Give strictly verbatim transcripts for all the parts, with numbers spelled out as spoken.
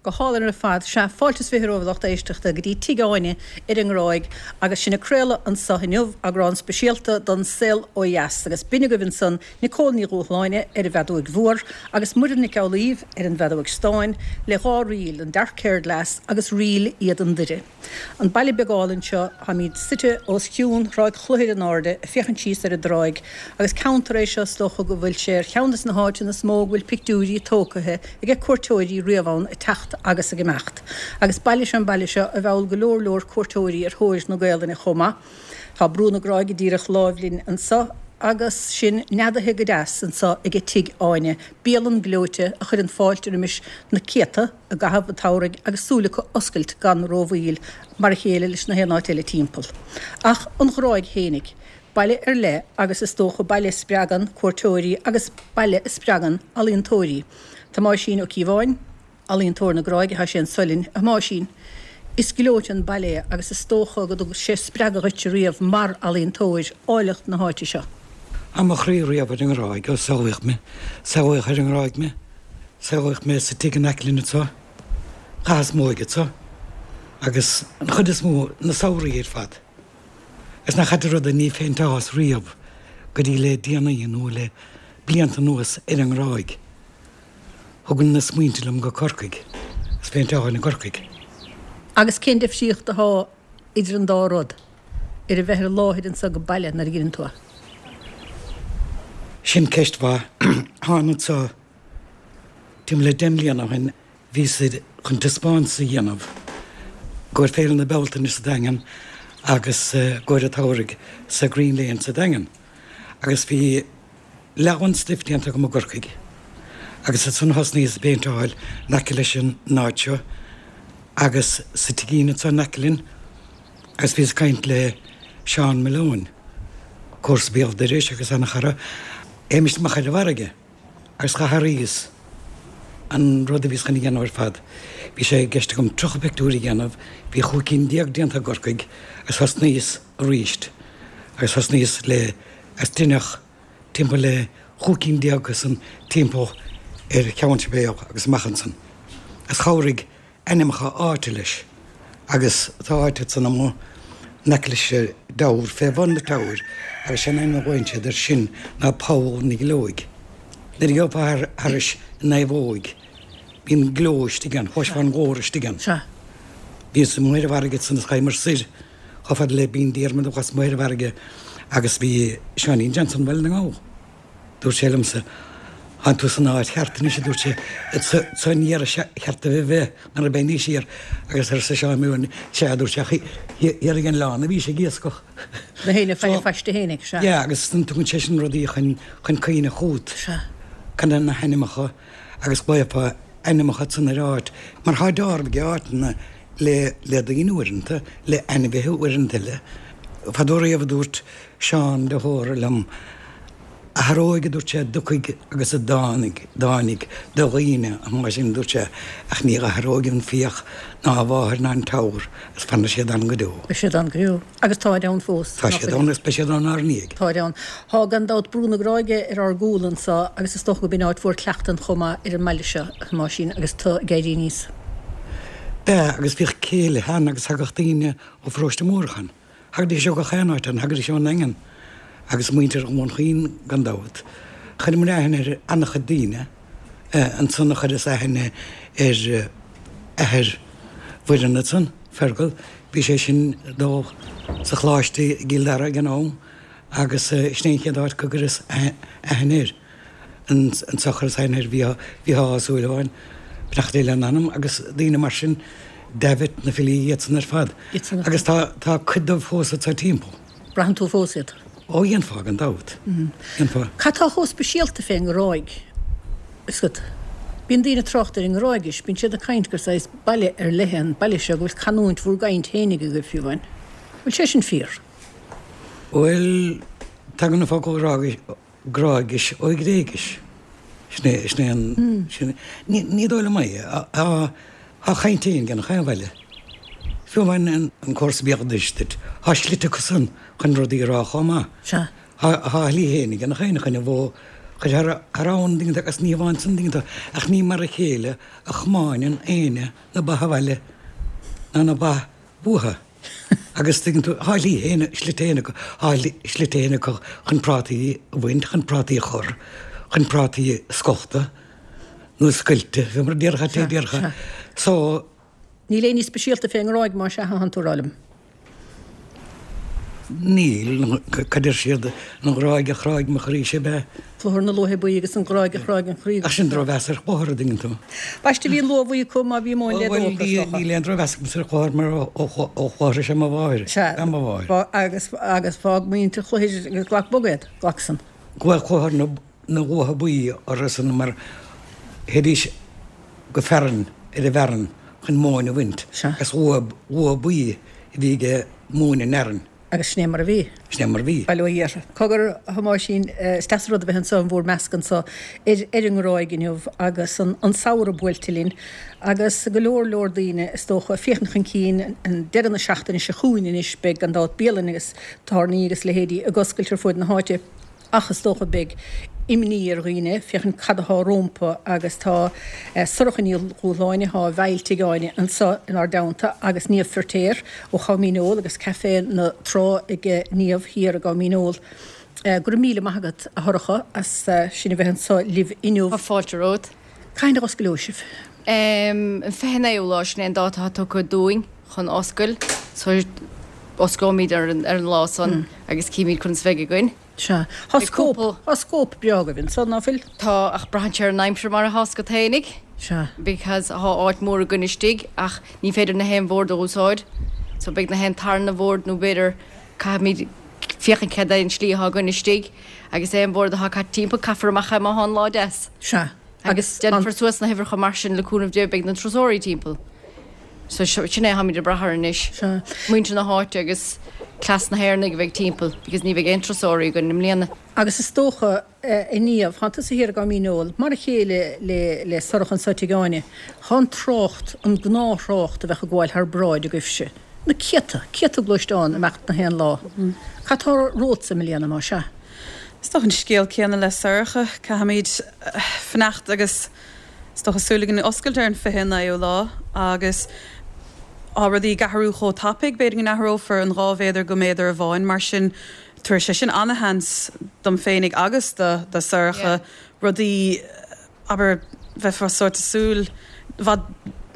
Go hálainn ar fad. Sea, fáilte is fiche romhaibh a lucht éisteachta go dtí Tigh Áine ar an nGráig agus sinn ag craoladh anso inniu, eagrán speisialta don Saol Ó Dheas agus b'in agaibh ansan Nicole Ní Dhúshláine ar an bhfeadóig mhór agus Muireann Nic Amhlaoibh ar an bhfeadóig stáin le dhá ríl, an Dark Haired Lass agus Ríl Éadan Doire. An baile beag álainn seo, táimid suite os cionn Thráigh Chlochair in airde, ag féachaint síos ar an dtráigh, agus ceantar é seo is dócha go bhfuil sé ar cheann des na háiteanna is mó go bhfuil pictiúirí tógtha aige cuairteoirí riamh ann ag teacht agus ag imeacht. Agus baile is ea an baile seo a mheall go leor leor cuairteoirí ar thóir na Gaolainne chomh maith. Tá Brú na Gráige díreach láimh linn anso agus sinn neadaithe go deas anso aige Tigh Áine, bialann gleoite a chuireann fáilte roimis na céadta i gcaitheamh an tsamhraidh agus súil acu oscailt gan rómhoill, mar a chéile leis na haon áit eile timpeall. Ach an Ghráig fhéinig, baile ar leith agus is dócha baile a spreagann cuairteoirí agus baile a spreagann ealaíontóirí. Tomáisín Ó Cíobháin, ealaíontóir na Gráige, tá sé anso linn. A Thomáisín, is gleoite an baile é agus is dócha go dtug sé spreagadh dhuit riamh mar ealaíontóir, áilleacht na háite seo. Tá mo chroí riamh ar an nGráig ó saolaíodh mé. Saolaíodh ar an nGráig mé. Saolaíodh mé sa tigh in aice linn anso. Chaitheas m'óige anso agus an chuid is mó, na samhraí ar fad. Is nach ait an rud é, ní phéinteálas riamh go dtí le déanaí nó le blianta anuas ar an nGráig. Thugainn na smaointe liom go Corcaigh agus phéinteálainn i gCorcaigh. Agus cén difríocht athá idir an dá rud, ar a bheith ar an láthair anso go baile nuair a dheineann tú é? Sin ceist mhaith. Thána anso timpeall le deich mbliana ó shin, bhíos chun taispeántas a dhéanamh i gcomhair Féile na Bealtaine sa Daingean agus i gcomhair an tsamhraidh sa Green Lane sa Daingean. Agus bhí leath den stuif déanta agam i gCorcaigh agus ansan thosnaíos ag péinteáil in aice leis an áit seo agus sa tigín anso in aice linn agus bhíos ag caint le Seán Malone, comharsa béal dorais agus ana-chara, théimis amach ar an bhfarraige agus dh'athraíos an rud a bhíos chun a dhéanamh ar fad. Bhí sé i gceist agam tríocha pictiúr a dhéanamh, bhí chúig cinn déag déanta i gCorcaigh agus thosnaíos aríst agus thosnaíos le agus deineadh timpeall le chúig cinn déag acusan timpeall ar Cheann Sibéal agus amach ansan. Agus chabhraigh ainmneacha áite leis agus tá áit ansan amuigh in aice leis an dTower, fé bhun na Tower, agus sé an ainm a ghlaonn siad air sin ná Poll na Gleoige. Nuair a gheofá thairis an naomhóig bíonn gleo istigh ann, chloisfeá an glór istigh ann. Bhíos amuigh ar an bhfarraige ansan is ghabhamar soir chomh fada le Binn Diarmada thuas amuigh ar an bhfarraige agus bhí Seáinín Johnson Bhaile na nGall. Dúirt sé liomsa, Tánn tú san áit cheart anois, a dúirt sé, anso aniar is ceart duit a bheith mar beidh níos siar agus arsa Seán Malone, sea, a dúirt sé, ach thiar ag an oileán a bhís ag iascach. Na héinne fé phaiste fhéinig, sea. Yeah, agus tugann sé sin rudaí chun chun cuimhne chugat. Sea. Kind of na hainmneacha agus glaofá ainmneacha ansan ar áit, mar thá deáramh ag áiteanna le le daoine uaireanta, le ainmhithe uaireanta eile. Fadó riamh a dúirt Seán de hÓra liom, Athair óig, a dúirt sé, a dtiocfaidh agus a dtáinig, dtáinig do dhaoine, an lá sin, a dúirt sé, ach ní dh'athróidh an fiach ná a mháthair ná an teamhair agus fanfaidh siad ann go deo. Beidh siad ann go deo. Agus táid ann fós. Tá siad ann agus beidh siad ann ár ndiaidh. Táid ann. Tá gan dabht Brú na Gráige ar ár gcúl anso agus is dócha go b'in áit mhór cleachtain chomh maith ar an mbaile seo, a Thomáisín, agus tu ag éirí aníos. B'ea, agus bhíodh céilithe ann agus thagadh daoine ó Pharóiste Mórdha ann. Thagaidís ó gach aon áit ann, thagaidís ón nDaingean agus muintir Dhún Chaoin gan dabht. Chuireamar aithne ar an-chuid daoine ansan a chuireas aithne ar athair Mhuireann ansan, Fergal, bhí sé sin ag dul sa choláiste i gCill Dara ag an am agus sin é an chéad áit go gcuireas aithne air. Anso chuireas aithne ar Mhícheál Ó Súilleabháin, beannacht Dé lena anam, agus daoine mar sin, Davitt, na filí, iadsan ar fad. Agus tá tá cuid dóibh fós anso timpeall. Braitheann tú fós iad? Ó, dhéanfá, gan dabht. Dhéanfá. Cad tá chomh speisialta fén nGráig? Is go. Bíonn daoine ag trácht ar an nGráigis, bíonn siad ag caint gur saghas baile ar leith é an baile seo, go bhfuil canúint bhur gcaint fhéinig agaibh fiú amháin. Bhfuil sé sin fíor? Bhuel, tagann an focal Gráigis ó Ghréigis. Sin é, sin é an, sin, ní, ní dóigh liom é. Tá, tá caint fhéin ag gach aon bhaile. Fiú amháin an, an comharsa béal dorais duit, tá slite acusan chun rudaí a rá chomh maith. Sea. Tá, tá a shlí fhéin ag gach éinne chun an bhó, Chuir thar thar abhainn an dtuigeann tú agus ní amháin san an dtuigeann tú ach ní mar a chéile a chomáineann éinne na ba abhaile ná na ba uatha. Agus tuigeann tú, thá slí fhéin, slite fhéin acu, thá slite fhéin acu chun prátaí a bhaint, chun prátaí a chur, chun prátaí a scochta nó a scoilte, fé mar a déarfá, té déarfá. So. Níl aon ní speisialta fén nGráig más ea a thánn tú a rá liom. Níl, cad deir siad, an Ghráig a chráigh mo chroí-se ab ea? Clochar na Luaithe Buí agus an Ghráig a chráigh an chroí. Ach sin drochmheas ar chlochar, an dtuigeann tú. Baiste bhí an luaith bhuí acu má bhí móin le dó acu, is dócha. Níl aon drochmheas agamsa ar chlochar mar ó Chlochar is ea mo mháthair. Sea, mo mháthair. Agus, agus fág muintir Chlochair agus glac bog iad, glac san. Glaodh Clochar na Luaithe Buí orthu san mar théidís go fearann ar an bhfearann chun móin a bhaint. Sea. Agus luaith, luaith buí a bhí ag móin an fhearainn. Agus sin é mar a bhí. Sin é mar a bhí. Bail ó Dhia orthu. Cogar, a Thomáisín, is deas an rud a bheith anso in bhúr measc anso ar ar an nGráig inniu agus an an samhradh buailte linn agus go leor leor daoine is dócha ag féachaint chun cinn an deireadh na seachtaine seo chugainn anois beidh gan dabht bialanna agus tábhairní agus leithéidí ag oscailt ar fuaid na háite. Ach is dócha beidh imní ar dhaoine féachaint cad athá rómpa agus tá Sorcha Ní Dhúshláine, athá i bhfeighil Tigh Áine anso inár dteannta agus Niamh Firtéar ó Chom Dhíneol agus Café na Trá ag Niamh thiar i gCom Dhíneol. Go raibh míle maith agat a Shorcha as sinn a bheith anso libh inniu. Tá fáilte romhat. Cathain a osclóidh sibh? An fiche naoú lá, sin é an dáta atá tugtha dúinn chun oscail. So osclóimid ar an lá san agus címid conas a bheidh againn. Sea. Tá scóip, tá scóip breá agaibh anso, ná fuil? Tá, ach braitheann sé ar an aimsir mar atá agat fhéinig. Sea. Because thá áit mhór againn istigh ach ní féidir na haon bhord a úsáid. So beidh na haon tarna bhord nó b'fhéidir caithfimid féachaint cad é an slí atá againn istigh agus aon bhord atá caite timpeall caithfear amach é má thá an lá deas. Sea. Agus déanfar suas na huimhreacha mar sin le cúnamh Dé beidh na turasóirí timpeall. So sin é tháimid ag brath air anois. Sea. Muintir na háite agus cleas na hÉireannaigh a bheidh timpeall because ní bheidh aon turasóirí againn i mbliana. Agus is dócha, a Niamh, thánn tusa thiar i gCom Dhíneol, mar a chéile le le Sorcha anso Tigh Áine, thá an trácht, an gnáth-thrácht a bheadh ag gabháil thar bráid agaibhse, na céadta, céadta gluaisteán ag imeacht na haon lá. Cad tá romhatsa i mbliana, más ea? Is dócha an scéal céanna le Sorcha, caithfimid fanacht agus is dócha súil againn oscailt ar an fiche naoú lá agus tá rudaí ag athrú chomh tapaidh, b'fhéidir go n-athrófar an dhá mhéadar go méadar amháin, mar sin tabharfaidh sé sin ana-sheans dom féinig agus do do Sorcha rudaí, abair, bheifeá sórt ag súil i bhfad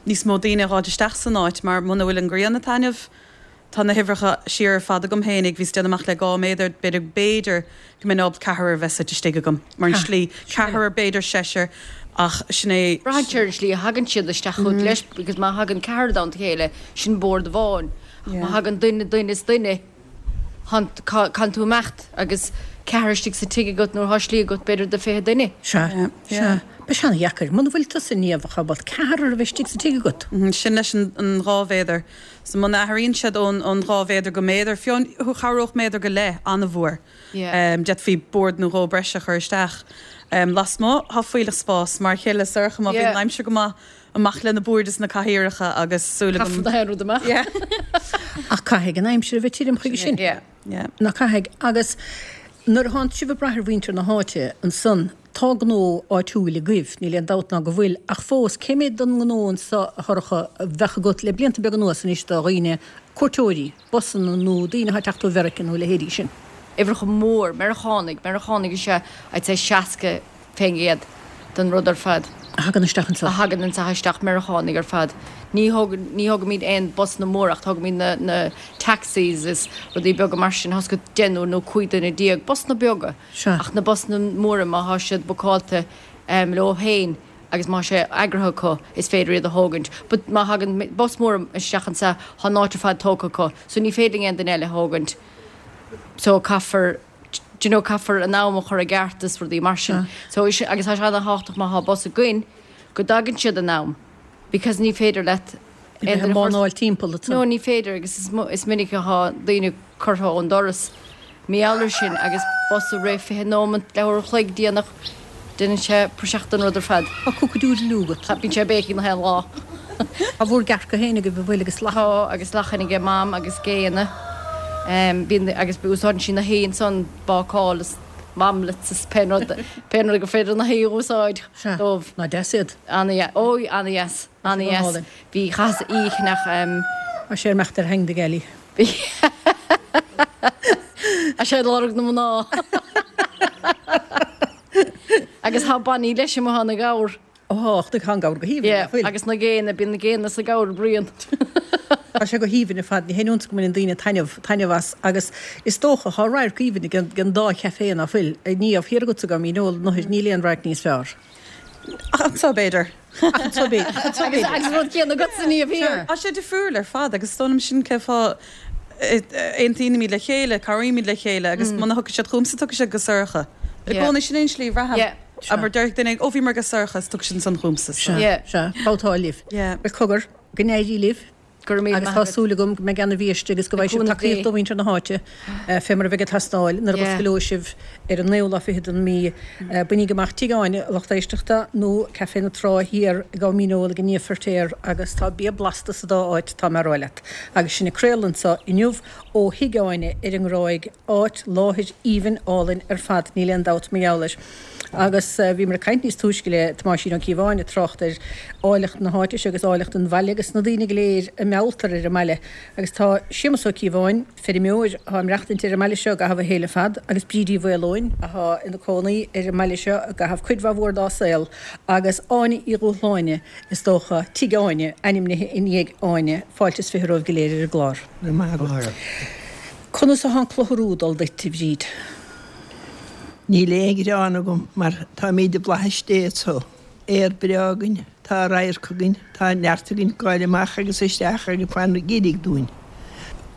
níos mó daoine a dh'fháilt isteach san áit mar muna bhfuil an ghrian ag taitneamh, Tá na huimhreacha siar ar fad agam fhéinig, bhíos ag déanamh amach le dhá méadar, b'fhéidir, b'fhéidir go mbeinn ábalta ceathrar a bheith suite istigh agam, mar an slí, ceathrar, b'fhéidir seisear, ach sin é. Braitheann sé ar an slí a thagann siad isteach chugat leis, because má thagann ceathrar i dteannta a chéile, sin bord amháin, ach má thagann duine, duine is duine, caithfidh tú imeacht agus ceathrar istigh sa tigh agat nuair atá slí agat b'fhéidir do fiche duine. Sea, sea. Beidh sé ana-dheacair. Muna bhfuil tusa, Niamh, ábalta ceathrar a bheith istigh sa tigh agat. Sin leis an dhá mhéadar. So muna athraíonn siad ón ón dhá mhéadar go méadar, fiú chabhródh méadar go leith an-mhór. D'fhéadfaí bord nó dhó breise a chur isteach. Lasmuigh, tá fuílleach spáis, mar a chéile le Sorcha, má bhíonn an aimsir go maith, amach le na boird is na cathaoireacha agus súil agam. Caithfear na haon rud amach. Ach caithfidh an aimsir a bheith tirim chuige sin. Ná caithfidh. Agus nuair a thánn sibh ag brath ar mhuintir na háite ansan, tá gnó áitiúil agaibh, níl aon dabht ná go bhfuil, ach fós, cé méid den ngnó anso, a Shorcha, a bheadh agat le blianta beaga anuas anois do dhaoine, cuairteoirí, busanna nó daoine atá ag teacht ó Mheiriceá nó a leithéidí sin? Uimhreacha mór, Meiriceánaigh, Meiriceánaigh is ea, I'd say seasca fén gcéad den rud ar fad. A thagann isteach anso. A thagann anso isteach, Meiriceánaigh ar fad. Ní thóg, ní thógaimid aon busanna móra ach tógaimid na, na taxis is rudaí beaga mar sin, thá 's agat deichniúr nó cúig duine déag, busanna beaga. Sea. Ach na busanna móra má thá siad bookáilte leo féin agus má thá sé eagraithe acu is féidir iad a thógaint. But má thagann bus mór isteach anso thá an áit ar fad tógtha acu so ní féidir linn aon duine eile a thógaint. So caithfear, do you know, caithfear an am a chur i gceart is rudaí mar sin. So is, agus tá sé ana-thábhachtach má thá bus againn go dtagann siad in am because ní féidir leat A bheith ag mánáil timpeall ansan. No, ní féidir agus is, is minic athá daoine curtha ón doras mar gheall ar sin agus bus ag rith fiche nóimeant, leathuair a chloig déanach, déanann sé praiseach den rud ar fad. Tá cock-a-doodle-doo agat. Tá, bíonn sé ag béicigh na haon lá. Tá bhur gcearca féin agaibh, an bhfuil, agus lachain? Tá, agus lachain aige Mam agus géanna. Bíonn, agus úsáideann sí na haon ansan, bácáil is Mamlets is pé rud pé rud gur féidir na hé úsáid dóibh. Nach deas iad. Ana ó ana dheas ana dheas. Bhí chas oíche nach Tá sé imeacht ar hang de Geli. A sé lorg na mná. Agus tá bannaí leis amuigh na gabhar. Ó ach tá an gabhar go haoibhinn. Yeah, agus na géanna bíonn na géanna sa gabhar Brian. Tá sé go haoibhinn ar fad, ní haon iontas go mbaineann daoine taitneamh, taitneamh as agus is dócha tá radharc aoibhinn ag an, an dá chaifé ná fuil, Niamh, thiar agatsa go Míneol, nó níl aon radharc níos fearr. Ach anso b'fhéidir. Ach anso b'fhéidir. Ach anso b'fhéidir. Agus rud céanna agatsa Niamh thiar. Tá sé difriúil ar fad agus is dóigh liom sin cén fáth aontaímid le chéile, cabhraímid le chéile agus muna thiocfaidh siad chugamsa tiocfaidh siad go Sorcha. I gcónaí sin é an slí a bhraithim. Mar déarfaidh duine, ó bhíomar go Sorcha is tiocfaidh siad ansan chugamsa. Sea, sea, babhtáil libh. Bhuel cogar, go n-éirí libh. Go raibh míle Agus maith tá agat. súil agam go mbeidh ana-bhiaiste agus go Le bhfaighidh sibh cúnamh tacaíocht Dé. ó mhuintir na háite fé mar a bheidh ag teastáil nuair a Yeah. osclóidh sibh ar an naoú lá fichead den mí. Bainigí amach Tigh Áine, a lucht éisteachta, nó Café na Trá Thiar i gCom Míneol ag Niamh Feirtéar agus tá bia blasta sa dá áit, tá mé a rá leat. Agus sinn ag craoladh anseo inniu ó Thigh Áine ar an nGráig, áit, láthair aoibhinn álainn ar fad, níl aon dabht mar gheall air. Agus bhíomar ag caint níos túisce le Tomáisín Ó Cíobháin ag trácht ar áilleacht na háite seo agus áilleacht an bhaile agus na daoine go léir a mealltar ar an mbaile. Agus tá Séamus Ó Cíobháin, feirmeoir atá ag maireachtaint ar an mbaile seo i gcaitheamh a shaoil ar fad, agus Bríd Uí Mhaoileoin atá ina cónaí ar an mbaile seo i gcaitheamh cuid mhaith mhór dá saol, agus Áine Uí Dhúshláine, is dócha, Tigh Áine, ainmnithe i ndiaidh Áine. Fáilte is fiche romhaibh go léir ar an gclár. Go raibh maith agat. Conas atá an clutharú ag dul duit, a Bhríd? Níl aon ghearán agam mar táimid i bhflaithis Dé anso. Aer breá againn, tá radharc againn, tá neart againn gabháil amach agus isteach agus fan ag iarraidh dúinn.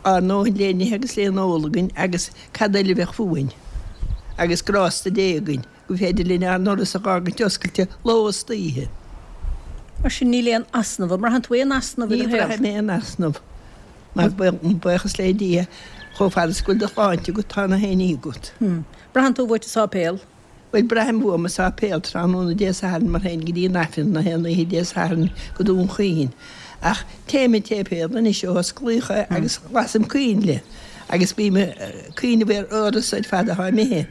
Ár ndóthain le n-ithe agus le n-ól againn agus cad eile a bheadh fúinn? Agus grásta Dé againn go féidir linn ár ndoras a dh'fhágaint oscailte ló is oíche. Mar sin níl aon easnamh, an mbraitheann tú aon easnamh i Ní do shaol? bhraithim aon easnamh mar buíochas le Dia chomh fada is go bhfuil do shláinte agat tá na haon ní agat. Braitheann tú uait an sáipéal? Bhuel, braithim uaim an sáipéal tráthnóna Dé Sathairn mar théinn go dtí an Aifreann na haon oíche Dé Sathairn go Dún Chaoin. Ach téim an tséipéal anois ó osclaíodh é agus lasaim coinnle agus bím ag cuimhneamh ar uireasa ar fad atá imithe.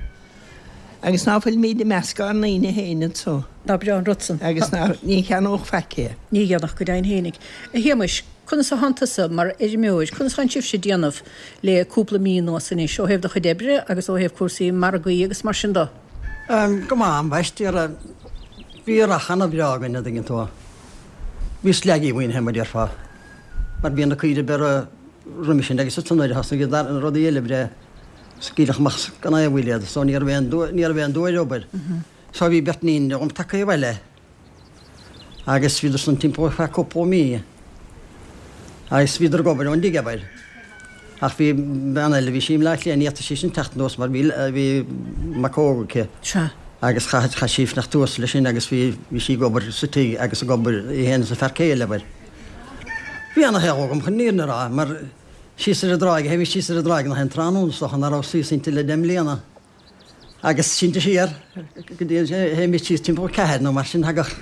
Agus ná fuilimid i measc ár ndaoine féin anso. Ná breá an rud san. Agus ná ní cheannódh faic é. Ní dhéanfadh go deimhin fhéinig. A Shéamais, conas a thánn tusa mar fheirmeoir, conas thánn sibhse ag déanamh le cúpla mí anuas anois, ó thaobh do chuid oibre agus ó thaobh cúrsaí margaí agus mar sin de? Go maith, ambaiste. Bhí earrach ana-bhreá againn, a' dtuigeann tú. Bhí sleaigí uainn féin, mar déarfá, mar bhí na caoirigh beirthe roimis sin agus ansan nuair a thosnaigh na rudaí eile breith, scaoileadh amach gan aon mhoill iad so ní raibh aon ní raibh aon dua ar obair. So bhí beirt níon agam tagtha abhaile agus bhíodar san timpeall ar feadh cúpla mí agus bhíodar ag obair ón dtigh abair. Ach bhí bean eile, bhí sí i mBleá Cliath, ní fhéadfadh sí sin teacht anuas mar bhí bhí mac óg aici. Sea. Agus chaith chaith sí fanacht thuas leis sin agus bhí bhí sí ag obair sa tigh agus ag obair í féin is a fear céile abair. Bhí ana-shaol agam chun an fhírinne a rá mar Síos ar an dtráigh, théimis síos ar an dtráigh nach aon tráthnóna is dócha ná raibh suíos inti le deich mbliana. Agus sínte siar go dtí an, théimis síos timpeall a ceathair nó mar sin, thagadh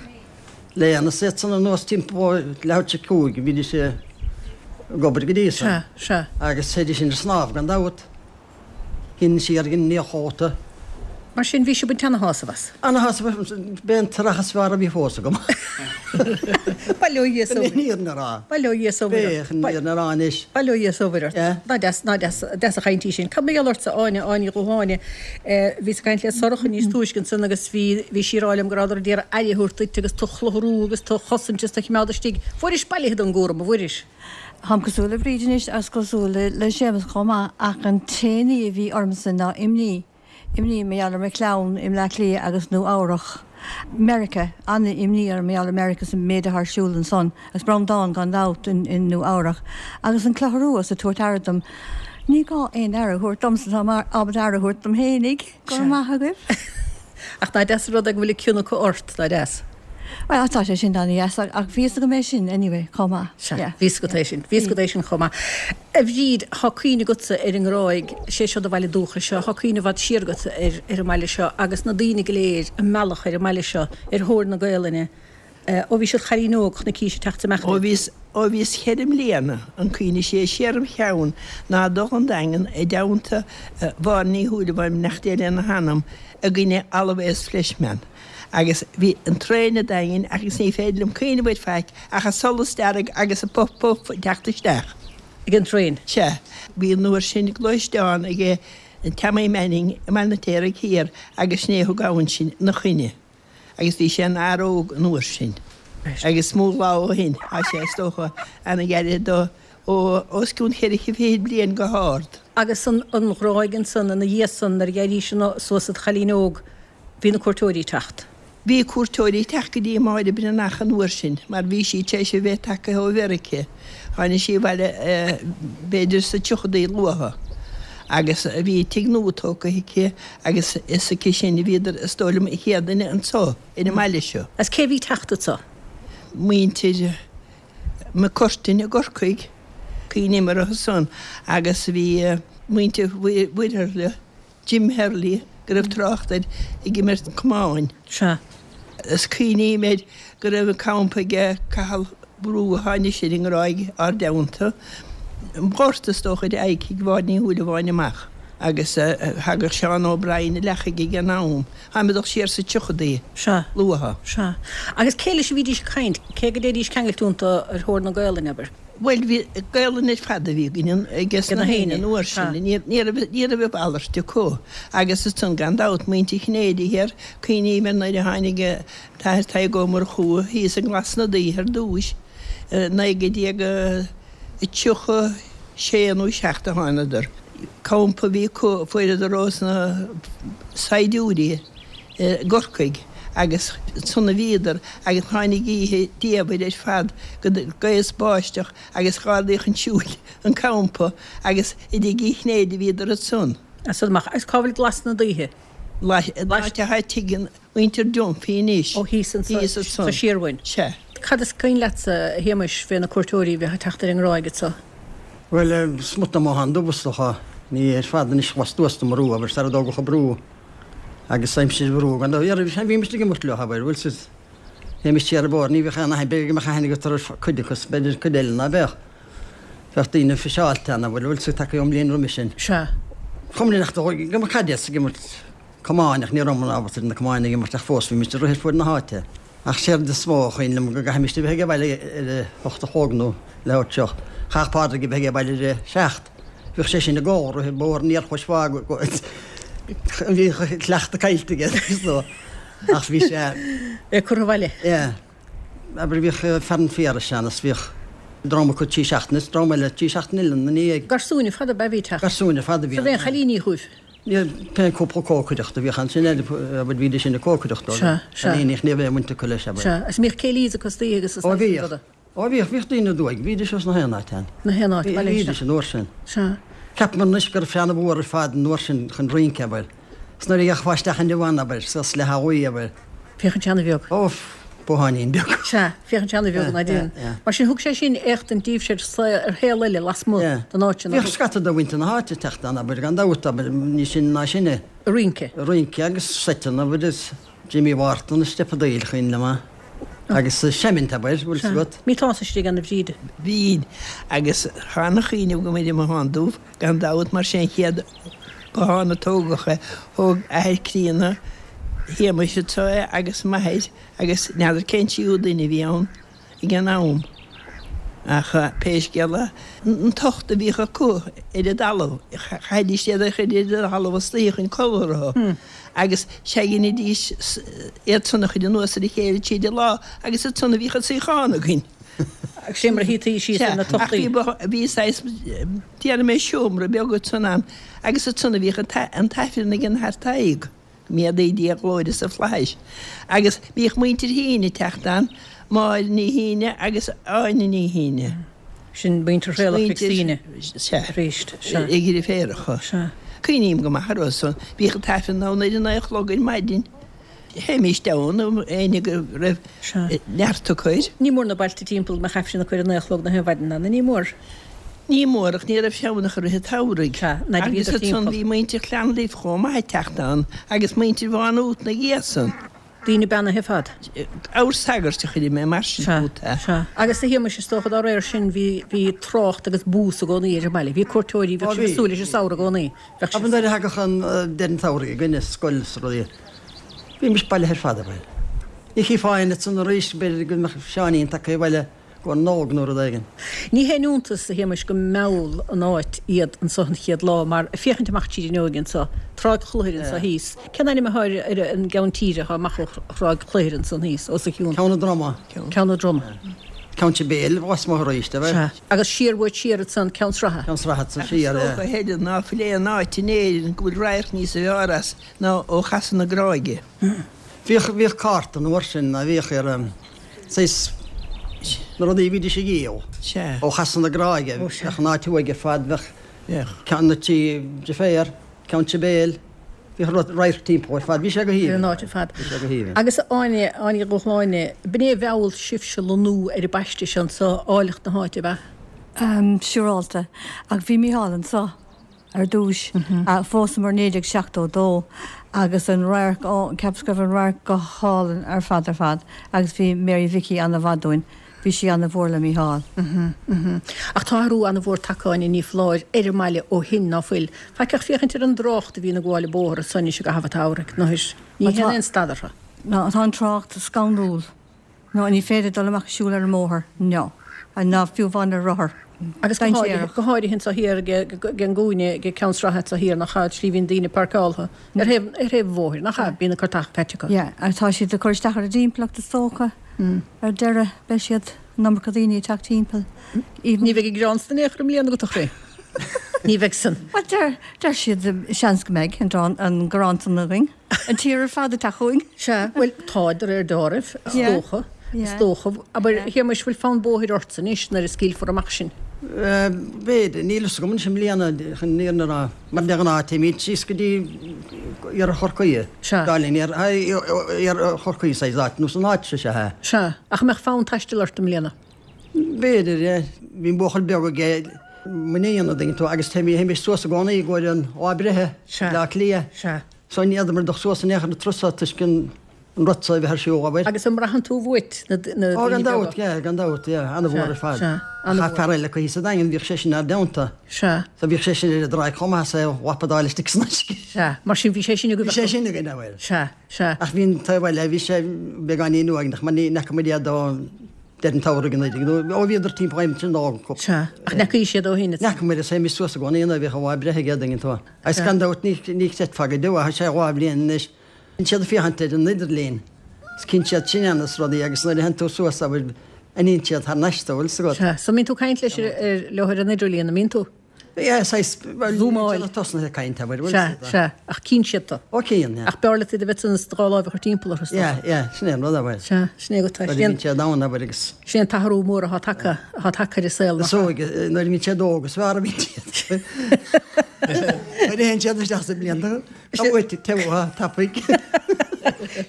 Léna is iad san anuas timpeall leathuair tar éis a cúig, bhídís ag obair go dtí san. Sea, sea. Agus théidís sin ar snámh gan dabht. Shin siar ag an naíchóta. Mar sin, bhí sibh ag baint ana-shásamh as. Ana-shásamh, b'é an t-earrach is fearr a bhí fós agam. Bail ó Dhia is ó Chun an fhírinne a rá. Bail ó Dhia is ó Mhuire B'é, ort. chun an fhírinne a rá anois. Bail ó Dhia is ó Mhuire ort. Yeah. Ná deas, ná deas, deas an chaint í sin. Cad mar gheall ortsa, Áine, Áine Ní Dhúshláine? Bhíos ag caint le Sorcha níos túisce ansan agus bhí, bhí sí ag rá liom go rabhadar ag iarraidh aire a thabhairt duit agus tú chlutharú agus tú chosaint is tú choimeád istigh. Fuairis bailithe don gcúram, a bhfuairis? Táim cosúil le Bríd anois agus cosúil le Séamus chomh maith ach an t-aon ní a bhí ormsa ná imní. Imní mar gheall ar mo chlann i mBleá Cliath agus Nua Eabhrach. Meiriceá, an-imní orm mar gheall ar Meiriceá is an méid atá ar siúl ansan, agus Breandán gan dabht in in Nua Eabhrach. Agus an clutharú is ag tabhairt aire dom. Ní gá aon aire a thabhairt domsa, tá mé ábalta aire a thabhairt dom fhéinig. Go raibh maith agaibh. Ach ná deas an rud é go bhfuil cion acu ort, ná deas? Bhuel, tá sé sin an-deas, ach bhí fhios agam é sin anyway, chomh maith. Sea, Yeah. bhí fhios agat é sin, bhí fhios agat é sin chomh maith. A Bhríd, tá cuimhne agatsa ar an nGráig, sé seo do bhaile dúchais seo, tá cuimhne i bhfad siar agat ar ar an mbaile seo agus na daoine go léir a mealladh ar an mbaile seo ar thóir na Gaelainne Ó bhí sibh cailín óg chonaicís ag teacht amach Ó bhíos ó bhíos cheithre mbliana an cuimhne sé siar im cheann ná dul 'on Daingean i dteannta Mháire Ní Shúilleabháin beannacht Dé lena hanam i gcoinne Always Fleshman agus bhí an traein a' Daingin agus ní féidir liom cuimhneamh air faic ach an solas dearg agus an puff puff ag teacht isteach. Ag an traein? Sea. Bhí an uair sin gluaisteán ag Tommy Manning i mBaile an Fheirtéaraigh Thiar agus sin é a thug ann sinn 'na choinne. Agus bhí sé ina fhear óg an uair sin. Agus mo lá ó shin, tá sé, is dócha, ana-ghairid do, ó os cionn cheithre fichid bliain go hard. Agus an Ghráig ansan ina dhiaidh san nuair a d'éirís suas id chailín óg, bhí na cuairteoirí ag teacht. Bhí cuairteoirí ag teacht go dtí Máire Breathnach an uair sin mar bhí sí tar éis a bheith tagtha ó Mheirice. Tháinig sí abhaile b'fhéidir sa tríochadaí luatha agus bhí tigh nua tógtha aici agus is aici sin a bhíodar is dóigh liom an chéad duine anso ar an mbaile seo. Is cé a bhí ag teacht anso? Muintir McCurtain i gCorcaigh, cuimhním orthu san agus bhí muintir Mhuirthile, Jim Hurley, go raibh trácht air ag imirt camáin. Sea. Is cuimhním air go raibh an campa aige Cathal Brugha tháinig sé ar an nGráig ár dteannta. An Gort is dócha ar aghaidh tigh Mháire Ní Shúilleabháin amach agus thagadh Seán O'Brien i Leachaigh ag an am. Táim ag dul siar sa tríochadaí Sea. luatha. Sea. Agus cé leis a bhídís ag caint? Cé go dtéidís ceangailte iontu ar thóir na Gaolainne, abair? Bhuel, bhí Gaolainn ar fad a bhí againn ages na héinne an uair sin, ní raibh ní raibh a mhalairt acu. Agus ansan gan dabht, muintir Chinnéide thiar, cuimhním ar nuair a tháinig an tAthair Tadhg Ó Murchú thíos i nGlas na Gaoithe ar dtúis, naoi déag tríocha sé nó seacht a thánadar. Campa a bhí acu, fuaireadar ós na saighdiúirí i gCorcaigh agus ansan a bhíodar agus tháinig oíche diamhair ar fad go gaoth is báisteach agus dh'ardaíodh chun siúil an campa agus i dtigh Uí Chinnéide a bhíodar ansan. As san amach. Agus cá bhfuil Glas na Gaoithe? An áit atá tigh mhuintir Dunphy anois. Ó thíos ansan. Thíos ansan. Sa Siarbhain. Sea. Cad is cuimhin leatsa, a Shéamais, fé na cuairteoirí a bheadh ag teacht ar an nGráig anso? Bhuel, smut de mo shean dubh is dócha. Ní ar fad anois lastuas de mo rua, abair, sara dtógadh an brú agus aimsir an bhrú gan dabht. Bhímis ag imirt leo, abair, bhfuil 's théimis siar an bóthar, ní bheadh aon aithne, b'fhéidir go mbeadh aithne agat ar cuid acu, b'fhéidir cuid eile ná beadh. Bheadh daoine fiseáilte ann, abair, bhfuil 's tagtha ón mbliain roimis sin. Sea. Chuma linn ach go mbeadh caidéas ag imirt camáin ach ní rabhamar ábalta ar na camáin a imirt ach fós bhímis ag rith ar fuaid na háite. Ach séard is mó a chuimhin liom go gcaithfimis a bheith ag baile ar a hocht a chlog nó leathuair tar éis. Chaithfeadh Pádraig a bheith ag baile ar a seacht. Bhíodh sé sin ag gol rith an bóthar aniar chois bhá go bhí cleachtadh caillte aige so ach bhí sé É curtha abhaile. Yeah. Abair bhíodh fear an Phiarais ann is bhíodh dream acu trí seachtaine is dream eile trí seachtaine eile ina ndiaidh. Garsúin ar fad ab ea a bhí ag teacht. Garsúin ar fad a bhí ann. Is aon chailíní chugaibh? Ní pé cúpla cócaireachta a bhíodh ansin abair bhídís sin ag cócaireacht dóibh. Sea, sea. Cailíní ach ní raibh aon bhaint acu leis abair. Sea, agus an mbíodh céilís acu istoíche agus is Ó bhíodh. Ó bhíodh, bhíodh daoine aduaidh, bhídís os na haon áit ann. Na haon áit, baile Bhídís an uair sin. Sea. Ceapaim anois go raibh sé ana-mhór ar fad an uair sin chun rince, abair. 'S nuair a gheofá isteach inniu ann, abair, suas le haghaidh uí, abair. Féachaint ana-bheag. Ó, botháinín beag. Sea, féachaint ana-bheag ná déan. Mar sin, thug sé sin éachtaint daoibhse ar saol, ar shaol eile lasmuigh den áit sin. Bhíodh scata de mhuintir na háite ag teacht ann, abair, gan dabht, abair, ní sin ná sin é. Ag rince. Ag rince agus seiteanna, abair, is Jimmy Wharton is steipeadaíl, cuimhin liom é. Agus seimint, abair, bhfuil 's agat. Bhí tusa istigh ann a Bhríd. Bhínn, agus tá ana-chuimhne agam ar an mBothán Dubh, gan dabht, mar sé an chéad bothán a tógadh é. Thóg athair críonna Shéamais anso é agus m'athair agus n'fheadar cén tríú duine a bhí ann ag an am. Ach pé scéal é, an tocht a bhíodh acu ar an dtalamh, chaithidís iad a chur ar an talamh istoíche chun codladh orthu agus dheinidís iad san a chur anuas ar a chéile tríd an lá agus ansan a bhíodh an suíochán againn. Agus sé mar a shuítí síos ar na tochtaí. Ach bhí saghas, déarfaidh mé seomra beag ansan ann agus ansan a bhíodh an t-aifreann ag an Athair Tadhg. Go méadaí Dia a ghlóire sa fhlaithis. Agus bhíodh muintir Heaney ag teacht ann, Máire Ní Heaney agus Áine Ní Heaney. Sin muintir Thraolach Mhic Suibhne Sea. arís. Sea. A dheirféaracha. Sea. Cuimhním go maith orthu san. Bhíodh an t-aifreann ann ar a naoi a chlog ar maidin. Théimíst ann, éinne go raibh neart acu air. Ní mór na bailte timpeall go mbeadh aifreann acu ar a naoi a chlog na haon mhaidin ann, ní mór? Ní mór, ach ní raibh sé ann ach i rith an tsamhraidh. Sea, nuair a Agus bhíodar ansan timpeall. bhí muintir Chlann Life chomh maith ag teacht ann agus muintir Mhá Nuat ina dhiaidh san. Daoine beannaithe ar fad. Abhar sagairt a chuirfidh mé mar sin fút. Sea. Agus a Shéamais, is dócha dá réir sin bhí, bhí trácht agus bús i gcónaí ar an mbaile. Bhí cuairteoirí, bheadh sibh ag súil leis an samhradh i gcónaí. Bheadh sibh. Nuair a thagadh an deireadh an tsamhraidh againn as scoil is rudaí, bhímis bailithe ar fad, bhuel. Ní chífeá éinne ansan arís, b'fhéidir go mbeadh Seáinín tagtha abhaile. Go Nollaig nó rud éigin. Ní haon iontas, a Shéamais, go mheall an áit iad anso an chéad lá, mar ag féachaint amach tríd an fhuinneoig anso, Tráigh Chluachair anso thíos. Cén ainm athá ar an gceann tíre athá amach ó Thráigh Chluachair ansan thíos, os a chionn? Ceann an Droma. Ceann an Droma. Ceann Sibéal, lasmuigh arís, a bheith. Sea. Agus siar uait siar ansan, Ceann Sratha. Ceann Sratha ansan siar, yeah. Is dócha, a Helen, ná fuil aon áit in Éirinn go bhfuil radharc níos fearr as ná ó Chasadh na Gráige. Bhíodh, bhíodh cárta an uair sin, a bhíodh ar an, saghas, na rudaí a bhídís ag dhíol ó Chasadh na Gráige, bheadh an áit uaidh ar fad, bheadh ceann na tí de féar, Ceann Sibéal, bhíodh radharc timpeall ar fad, bhí sé go Ar an haoibhinn. áit ar fad. Bhí sé go haoibhinn. Agus a Áine, Áine Ní Dhúshláine, b'in é a mheall sibhse lonnú ar an bpaiste seo anso, áilleacht na háite, ab ea? Siúrálta. Ach bhí Mícheál anso. ar dtúis. Phósamar naoi déag seachtó dó agus an radharc, ó, cheapas go raibh an radharc go hálainn ar fad ar fad agus bhí Mary Mhicí ana-mhaith dúinn, bhí sí ana-mhór le Mícheál. Ach tá athrú ana-mhór tagtha, Áine, ní foláir, ar an mbaile ó shin, ná fuil? Faic ach féachaint ar an dtrácht a bhíonn ag gabháil an bóthar anso anois i gcaitheamh an tsamhraidh, nó ní théann aon stad orthu. Ná tá an trácht scanrúil. No, ní féidir dul amach ag siúl ar an mbóthar. No. Ná fiú amháin ar rothar. Agus go háirithe, go háirithe anso thiar ag an gcúinne, ag Ceann Sratha anso thiar, nach ea, slí bhíonn daoine páirceáltha ar thaobh, ar thaobh an bhóthair, nach ea, bíonn an cartacha caite acu. Yeah, agus tá siad ag cur isteach ar an dtimpeallacht is dócha. Ar deireadh, beidh siad, an iomarca daoine ag teacht timpeall. Even. Ní bheidh an greann san in aon chor i mbliana agat, a chroí. Ní bheidh san. Bhuel, deir, deir siad, seans go mbeidh an, an greann san againn. An tír ar fad ag teacht chugainn. Sea, bhuel, tá de réir dealraimh, is dócha, is dócha. Abair, a Shéamais, bhfuil fonn bóthair ortsa anois nuair a scaoilfear amach sinn? B'fhéidir, níl fhios agam anois i mbliana, chun an fhírinne a rá, mar de ghnáth téimid síos go dtí iarthar Chorcaí, Sea. dá linn, iarthar Chorcaí saghas áit, nó san áit seo, sea. Sea, ach an mbeadh fonn taistil ort i mbliana? B'fhéidir, yeah. Bhí an buachaill beag aige, m'iníon, an dtuigeann tú, agus théimis suas i gcónaí i gcomhair an lá breithe, Sea. Bleá Cliath. Sea. So ní fhéadfamar dul suas in aon chor an turas so toisc an rud so a bheith ar siúl, abair. Agus an mbraitheann tú uait na daoine beaga? Ó gan dabht, yeah, gan dabht, yeah, an-mhór ar fad. Sea, Ach an-mhór. fear eile acu thíos sa Daingean, bhíodh seisean inár dteannta. Sea. So bhíodh seisean ar an dtráigh chomh maith, is é a lapadáil istigh san uisce. Sea, mar sin bhí sé sin agaibh. Bhí sé sin againn, abair. Sea, sea. Ach bhí an taobh eile, bhí sé beagáinín uaigneach mar ní fhaca muid iad ó deireadh an tsamhraidh an oiread, ó bhíodar timpeall aimsir na Nollag. Sea, ach n'fheacaí siad ó shin. N'fheaca muid, is théimis suas i gcónaí nuair a bhíodh an lá breithe aige, an dtuigeann tú. Agus gan dabht ní ní chreidfeá go deo, tá sé dhá bhliain anois. Bíonn siad ag féachaint ar an idirlíon, is cíonn siad sinn ann is rudaí agus nuair a théann tú suas, abair, aithníonn siad thar n-ais tú, bhfuil 'fhios agat. Sea, so mbíonn tú ag caint leis ar leo ar an idirlíon, an mbíonn tú? Yeah, saghas, bhuel, Zúmáil. tosnaithe ag caint, abair, bhfuil Sea, 'fhios agat. sea, ach cíonn siad tú. Ó cíonn, yeah. Ach b'fhearr leat iad a bheith ansan is do dhá láimh a chur timpeall orthu, is dócha. Yeah, yeah, sin é an rud, abair. Sea, sin é go tá, Nuair a sin é an. bhíonn siad ann, abair, agus. Sin é an t-athrú mór atá tagtha, atá tagtha ar an saol, Is nach ea? óige, nuair a bhíonn siad óg, is fearr a bhíonn siad. Nuair a théann siad isteach sa mblianta, tá uait teo tapaidh.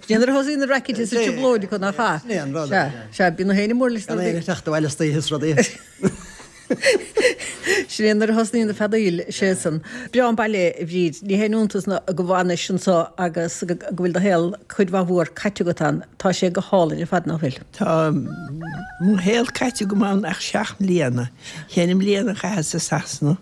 Sin é nuair a thosaíonn na racket is an trioblóid acu, nach ea? Sin é an rud. Sea, sea, bíonn na héinne mór leis na Gan rudaí. éinne ag teacht abhaile istoíche is rudaí. Sin é nuair a thosnaíonn na feadaíl, sé san. Breá an baile, a Bhríd. Ní haon iontas ná go bhfanais anso agus go bhfuil do shaol cuid mhaith mhór caite agat ann. Tá sé go hálainn ar fad, nach bhfuil? Tá mo shaol caite agam ann ach seacht mbliana. Ceithre mbliana a chaitheas i Sasana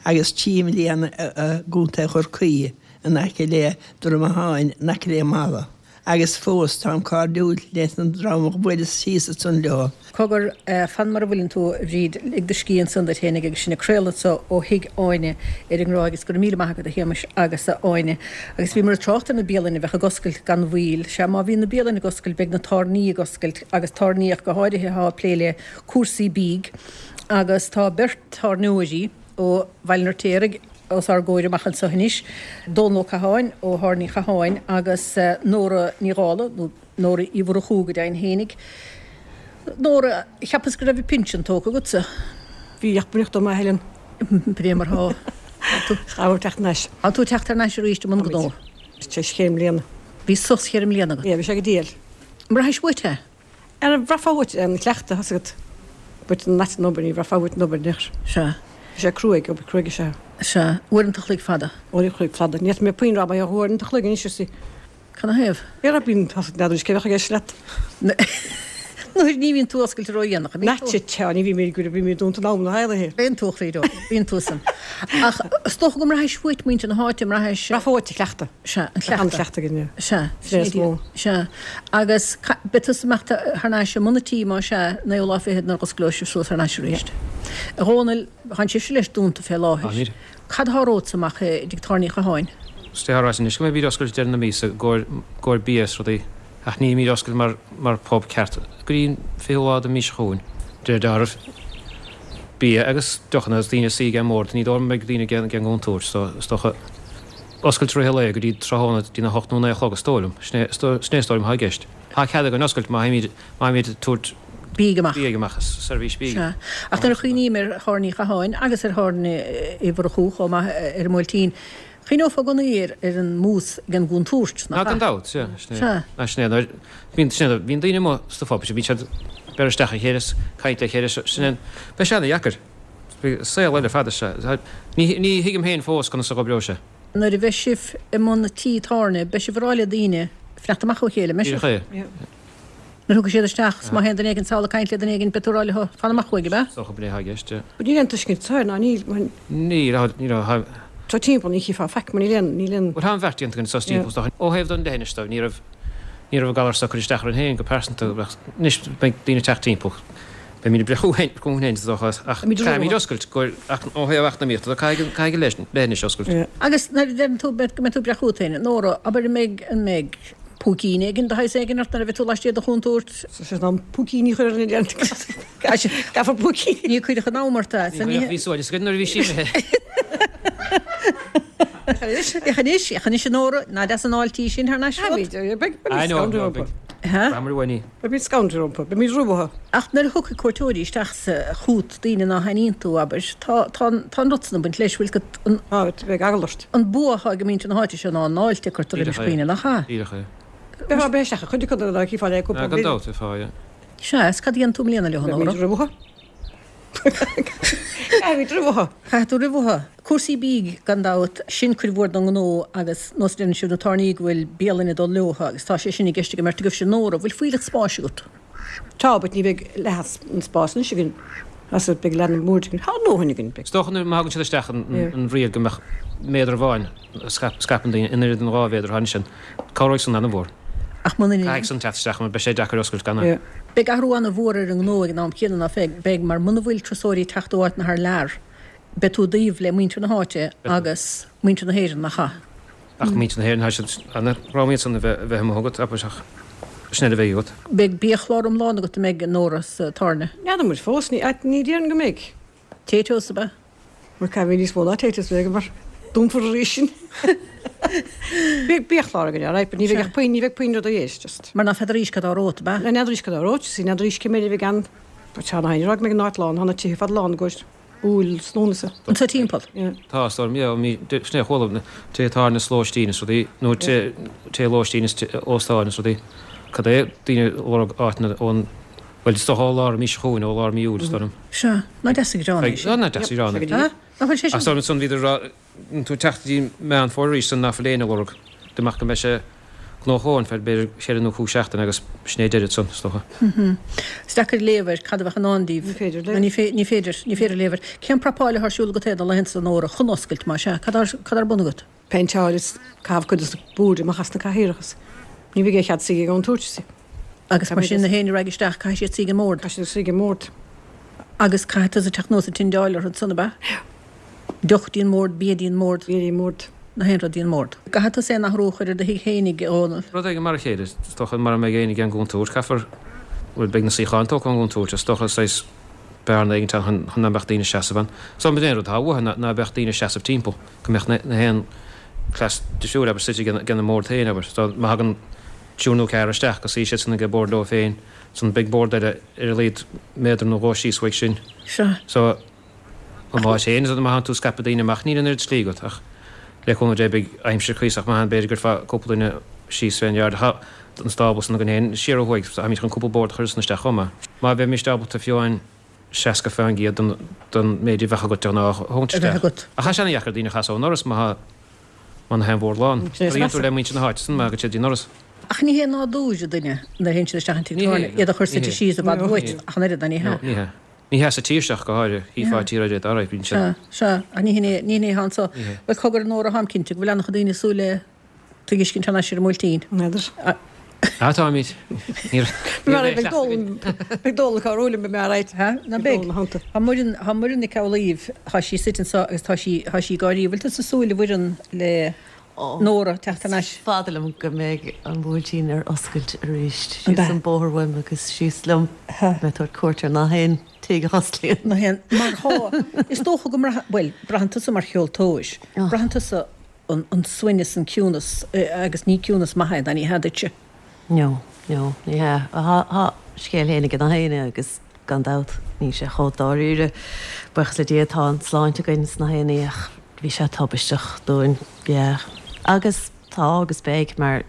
agus trí mbliana i gContae Chorcaí in aice le Droim Átháin, in aice le Mala. Agus fós táim cairdiúil leis an dream a bhuaileas síos ansan leo. Cogar, fan mar a bhfuileann tú, a Bhríd, lig do scíth ansan duit fhéinig agus sinn ag craoladh anso ó thigh Áine ar an nGráig agus go raibh míle maith agat a Shéamais agus a Áine. Agus bhíomar ag trácht ar na bialanna a bheadh ag oscailt gan mhoill. Sea, má bhíonn na bialanna ag oscailt beidh na tábhairní ag oscailt agus tábhairní ach go háirithe atá ag plé le cúrsaí bídh agus tá beirt tábhairneoirí ó Bhaile an Fheirtéaraigh os ár gcomhair amach anso anois, Dónal Ó Catháin ó Thábhairne Uí Chatháin agus Nóra Ní Dhálaigh, nó Nóra Uí Mhurchú go deimhin fhéinig. Nóra, cheapas go raibh an pinsean tógtha agatsa? Bhí, ach b'in dom a Helen. B'é mar thá. Tá tú ag teacht thar n-ais. Tá tú ag teacht thar n-ais arís i mbun gnó. Tar éis cheithre mbliana. Bhí sos cheithre mbliana agat. Yeah, bhí sé go diail. An mbraithis uait é? Ara bhraithfeá uait an cleachtadh, tá's agat. But an ait an obair, ní bhraithfeá uait an obair anois. Sea. Bhí sé cruaidh, obair cruaidh is ea. Sea. Uaireanta a chloig fada. Uair an chloig fada. Ní fhéadfaidh mé puinn a rá mar gheall ar uaireanta a chloig anois is. Canathaobh? Ara bíonn, tá n'fheadar cé bheadh i gceist leat. Nuair ní bhíonn tú oscailte ródhéanach, an mbíonn tú? Sea, tá, ní bhímid go bímid dúnta in am na háirithe. Bíonn tú, a Chroí, bíonn tú san. Ach is dócha go mbraithis uait muintir na háite, mbraithis. Bhraithfeá uait an cleachtadh. Sea, an cleachtadh. An cleachtadh againn, yeah. Sea, Sin é is mó. Sea. Agus beidh tusa ag imeacht thar n-ais i mbun an tí, más ea, naoú lá fichead nuair a dh'osclóidh sibh suas thar n-ais arís. A Dhónaill, tánn sibhse leis dúnta fé láthair. Táimid. Cad thá romhatsa amach i dtigh tábhairne Uí Chatháin? Is é ráite anois go mbeimid oscailte deireadh na míosa i gcomhair bia is rudaí ach nílimid oscailte mar mar pub ceart go dtí an fichiú lá den mhí seo chugainn. De réir dealraimh, bia agus deochanna agus daoine ag suí ag an mbord, ní dóigh liom go mbeidh daoine ag an gcontúirt so is dócha oscailt i rith an lae go dtí tráthnóna dtí a hocht nó naoi a chlog is dóigh liom. Sin é is dóigh liom atá i gceist. Tá cead againn oscailt má théimid má théimid ag tabhairt bídh amach. Bídh amach, seirbhís bídh. Sea. Ach nuair a chuimhním ar Thábhairne Uí Chatháin agus ar Thábhairne Uí Mhurchú chomh maith ar an mBuailtín, chuimhneofá i gcónaí ar ar an mbús ag an gcontúirt, nach Ná ea? gan dabht, sea. Sin é. Sea. Ná sin é. Nuair, bíonn, sin é, bíonn daoine amuigh sna pubs, bíonn siad ag beir isteach ar a chéile, caint le chéile, sin é. Beidh sé ana-dheacair. Beidh saol eile fada sea. Ní, ní thuigim féin fós conas a dh'oibreoidh sé. Nuair a bheidh sibh i mbun tí tábhairne, beidh sibh ag rá le daoine fanacht amach ó chéile, an mbeidh sibh? Díreach é. Nuair a thiocfaidh siad isteach, 's má théann duine éigin sall ag caint le duine éigin, beidh tú ag rá leo, fan amach uaidh, ab ea? Is dócha b'in é atá i gceist, yeah. Níl aon tuiscint air, ná níl, mar. Níl, níl, níl. Tá timpeall, ní chífeá faic, mar níl aon, níl aon. Bhuel, tá an bheart déanta againn sos timpeall, is dócha. Ó thaobh don leithinis de, ní raibh, ní raibh an galar seo ag cur isteach orainn féin go pearsanta, ach anois beidh daoine ag teacht timpeall. Beimid ag breith chugainn féin, is dócha, ach caithfimid oscailt, ach ó thaobh eacnamaíochta de, caithfidh, caithfidh an leithinis oscailt. Agus nuair a deireann tú go mbeidh tú ag breith chugat féin, Nóra, abair an mbeidh, an mbeidh púicín éigin de shaghas éigin ort nuair a bheidh tú laistigh de chontúirt. Tá sé in am púicíní a chur ar an oileán. Caithfear púicíní. Ní cuirfeadh an am ort é. Ní bhí suaimhneas againn nuair a bhí sí imithe. Ach anois, ach anois a Nóra, ná deas an fháilte í sin thar n-ais romhat? Beidh scanradh rompu. Beidh scanradh rompu, beimid rompu. Ach nuair a thiocfaidh cuairteoirí isteach chugat, daoine ná haithníonn tú, abair, tá, tá, tá an rud san ag baint leis, bhfuil agat, an. Tá, beidh eagla ort. An bua atá ag muintir na háite seo ná an fháilte a cuirtear roimis dhaoine, nach ea? Díreach é. Bheifeá breith isteach chuid acu dá gcífeá le cúpla Gan dabht, bheifeá, yeah. Sea, is cad a dhéanann tú i mbliana leo, a Nóra? Beimid rompu. Caithfimid rompu. Caithfidh tú rompu. Cúrsaí bídh, gan dabht, sin cuid mhór den ngnó agus nós a deireann sibh na tábhairní go bhfuil bialanna ag dul leo agus tá sé sin i gceist ag an mbeirt agaibhse. Nóra, bhfuil fuílleach spáis agat? Tá, but ní bheidh leath an spás anois againn, as beidh leath na mboird againn. Tá a ndóthain againn, beidh. Is dócha nuair má thagann siad isteach an riail go mbeadh méadar amháin a scaipeann daoine in oiread an dhá mhéadar atá ansin, cabhróidh san an-mhór. Ach muna ndéanann. Caithfidh san teacht isteach mar beidh sé deacair oscailt gan é. Beidh athrú an-mhór ar an ngnó ag an am céanna, ná beidh, beidh, mar muna bhfuil turasóirí ag teacht ó áiteanna thar lear, beidh tú i dtaobh le muintir na háite agus muintir na hÉireann, nach ea? Ach muintir na hÉireann, tá siad ana-ghrámhar iad san a bheith a bheith amuigh agat, abair, ach sin é a bheidh agat. Beidh biachlár iomlán agat, an mbeidh, a Nóra, sa tábhairne? N'fheadar muid fós, ní, ní déarfainn go mbeidh. Taytos, ab ea? Mar caithfidh níos mó ná Taytos a bheith againn mar dúnfar arís sinn. Beidh biachlár againn, alright, but ní bheidh ach puinn, ní bheidh puinn rudaí air, just. Mar ná feadar-ís cad tá romhat, ab ea? N'fheadar-ís cad tá romhat, see, n'fheadar-ís cé mhéad a bheidh ann. But tá na haon rud go mbeidh an áit lán, tá na tithe fad lán i gcomhair Iúil is Lúnasa. Anso timpeall? Yeah. Tá, is dóigh liom, yeah, mí, sin é a chuala, tithe tábhairne is lóistín is rudaí, nó tithe, tithe lóistín is óstáin is rudaí. Cad é, daoine ag lorg áiteanna ón, bhuel, is dócha ó lár mí seo chugainn, ó lár mí Iúil, is dóigh liom. Sea, ná deas an greann é sin. Ná deas an greann é. Nach bhfuil sé sin? Ach is dóigh liom ansan bhíodar ag rá, tú ag teacht go dtí Meán Fómhair arís san ná fuil éinne ag lorg, dá mbeadh go mbeidh sé gnóthach ar feadh b'fhéidir cheithre nó cúig seachtaine agus sin é deireadh ansan, is dócha. Is deacair léamh air cad a bheadh i ndán daoibh. Ní féidir léamh. Ní féidir, ní féidir, ní féidir léamh air. Cén prapáil atá ar siúl agat féin na laethanta seo, a Nóra, chun oscailt, más ea? Cad cad ar bun agat? Péinteáil is caitheamh cuid de na boird amach as na cathaoireacha is ní bheidh aon chead suí ag an gcontúirt. Agus mar sin na héinne a raghaidh isteach caithfidh siad suí ag an mbord. Caithfidh siad suí ag an mbord. Agus caithfidh tusa teacht anuas ag tindeáil orthu ansan, ab ea? Deoch dtí an mbord, bia dtí an mbord. Bia dtí an mbord. Na haon rud dtí an mbord. An gcaithfidh tusa aon athrú a chur ar do thigh fhéinig, a Dhónaill? Rud éigin mar a chéile, is dócha, mara mbeidh éinne ag an gcontúirt, caithfear, bhuel, beidh na suíocháin tógtha ón gcontúirt, is dócha, saghas bearna éigin ann chun ná beadh daoine ag seasamh ann. So, an aon rud atá uathu ná ná beadh daoine ag seasamh timpeall, go mbeadh na na haon cleas difriúil, abair, suite ag an mbord féin, abair. So, má thagann triúr nó ceathrar isteach, go suí siad san ag an bord leo féin, san beidh bord eile ar a laghad méadar nó dhó síos uaidh sin. Sea. So, an áit féin, is má thánn tú ag scaipeadh daoine amach, níl an oiread slí agat, ach le cúnamh Dé beidh aimsir cuíosach maith ann, b'fhéidir go gcuirfeá cúpla duine síos fén yard. Tá an stábla san againn féin siar ó thuaidh, so táimid chun cúpla bord a chur ansan isteach chomh maith. Má bheimis ábalta fiú amháin seasca fán gcéad den den méid a bheadh agat de ghnáth a thabhairt A bheith isteach. agat. Ach tá sé ana-dheacair daoine a chasadh ón ndoras má thá Mar nach aon mhór lán. Cad a dhéanann tú le muintir na háite san má thagann siad dtí an doras? Ach ní hé nádúr duine nuair a théann siad isteach an tigh Ní hé, tábhairne iad a chur ní suite hé. síos i bhfad Ní uait hé. ach an oiread, ná ní hea? No, ní hea. Ní hea sa tír seo ach go háirithe, shílfeá tír áirithe dá raibh, bíonn Sea, siad. sea, ach ní hin é, ní hin é atá anso. Ní hé. Bhuel, cogar a Nóra, táim cinnte go bhfuil an-chuid daoine ag súil le tú a fheiscint thar n-ais ar an mBuailtín. N'fheadar. Ah, táimid. Ní Mar beidh dól, beidh dól acu ar uaim, mé right. Ha, ná beidh. Tá Muireann, tá Muireann Nic Amhlaoibh, tá sí suite anso agus tá sí, tá sí ag gáirí. Bhfuil tusa ag súil a Mhuireann le Nóra teacht thar n-ais? Is fada liom go mbeidh an Buailtín ar oscailt arís. Síos an bóthar uaim agus síos liom. Mé ag tabhairt cuairt ar nach aon tigh a osclaíonn. Nach aon, mar thá, is dócha go mbraitheann, bhuel, braitheann tusa mar cheoltóir, braitheann tusa an, an suaimhneas, an ciúnas, agus ní ciúnas maith é, ná ní hea duitse. No, no, ní hea. Thá, thá scéal féin ag gach éinne agus gan dabht níl sé chomh dáiríre. Buíochas le Dia tá an tsláinte againn is nach aon ní ach bhí sé tubaisteach dúinn, yeah. Agus tá agus beidh mar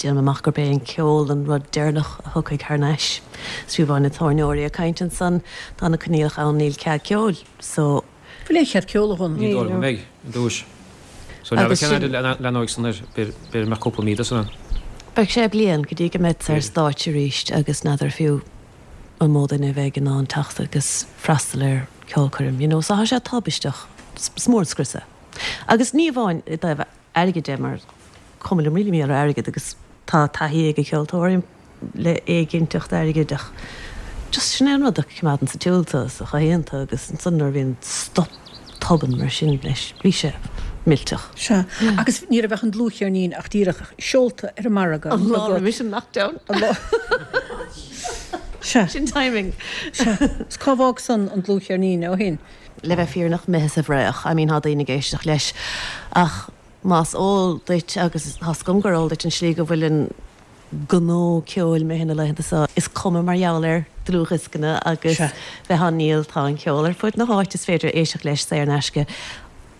déanaim amach gurb é an ceol an rud deireanach a thiocfaidh thar n-ais. Is fiú amháin na tábhairneoirí ag caint ansan, tá na coinníollacha ann níl cead ceoil so. Bhfuil aon chead ceoil a Dhónaill? Ní dóigh liom go mbeidh, i dtús. So Agus n'fheadar cén sin. fhad a leanóidh san air, b'fhéidir go mbeadh cúpla mí de san ann. Beidh sé bliain go dtí go mbeidh ar B'fhéidir. stáitse arís agus n'fheadar fiú an mó duine a bheidh in ann teacht agus freastal ar ceolchoirm, you know, so tá sé tubaisteach, is mór an scrios é. Agus ní amháin i dtaobh airgid de mar cuma liom really mé ar airgead agus tá taithí ag ceoltóirí le éiginnteacht airgid ach just sin é an rud a choimeádann sa tsiúl tú is a chothaíonn tú agus ansan nuair a bhíonn stop tobann mar sin leis bhí sé millteach. Sea, agus ní raibh ach an dlúthcheirnín ach díreach seolta ar an margadh. An lá roimis an lockdown. An lá. Sea. Sin timing. Sea. Is cá bhfág san an dlúthcheirnín ó shin? Le bheith fírinneach imithe sa bhfraoch. I mean, tá daoine ag éisteacht leis ach más eol duit agus tá a fhios agam gur eol duit an slí go bhfuil an gnó ceoil imithe na laethanta seo, is cuma mar gheall ar dlúthdhioscanna agus Sea. bheith á ndíol, tá an ceol ar fud na háite, is féidir éisteacht leis saor in aisce.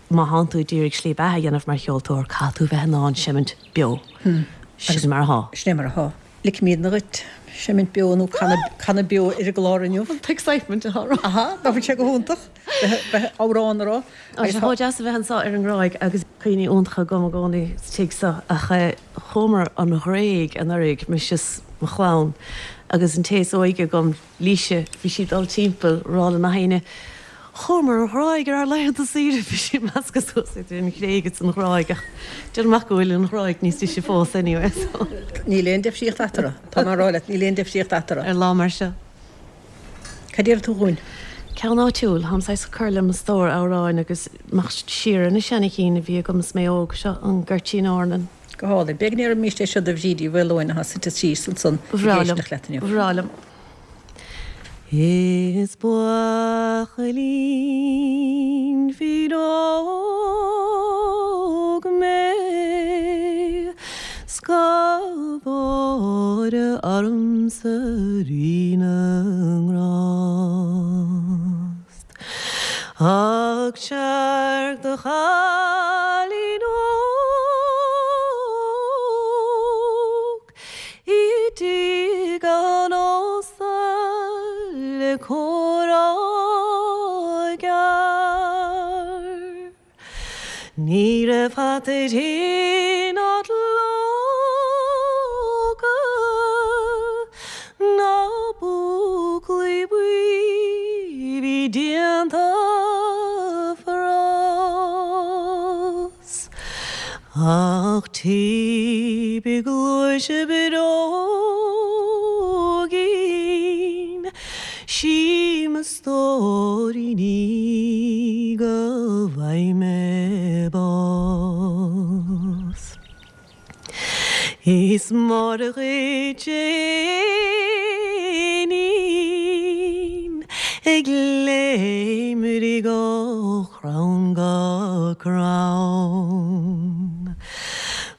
Má thánn tú ag iarraidh slí beatha a dhéanamh mar cheoltóir, caithfidh tú bheith in ann seimint beo. Sin mar atá. Sin é mar atá. Ligfimidne dhuit seimint beo nó canadh beo ar an gclár inniu. An t-excitement atá orm. Aha, ná fuil sé go hiontach bheith amhrán a rá. Tá sé chomh deas a bheith anseo ar an nGráig agus cuimhní iontacha agam i gcónaí sa tigh seo ach chuamar an Ghréig anuraidh, mise is mo chlann agus an té is óige agam, Laoise, bhí sí ag dul timpeall ag rá le gach éinne, Chuamar an Ghráig ar ár laethanta saoire, bhí sí ag meascadh suas idir an Ghréig agus an Ghráig ach déanaim amach go bhfuil an Ghráig níos deise fós anyway so. Níl aon deifríocht eatarthu, tá mé ag rá leat, níl aon deifríocht eatarthu. Ar lá mar seo. Cad déarfaidh tú dhúinn? Ceann áitiúil, táim saghas ag cur le mo stór amhráin agus amach siar ar na seanachinn a bhí agam is mé óg, seo an Goirtín Árnan. Go hálainn. B'fhéidir go ndéarfaimís é seo do Bhríd Uí Mhaoileoin atá suite síos ansan Ba ag bhreá liom. éisteacht leat inniu. Ba bhreá liom. Is buachaillín fíor óg mé 's gabh aire ormsa Rí na nGrást. Ach searc do chailín óg i dtigh an ósta le comhrá gearr. Ní raibh hata ná dlóga ná búclaí buí bhí déanta fras. Ach taoibh i gcluaise bróigín, sí mo stóirín í go bhfaighidh mé bás. Is mór dhuit a éinín ag léimrigh ó chrann go crann.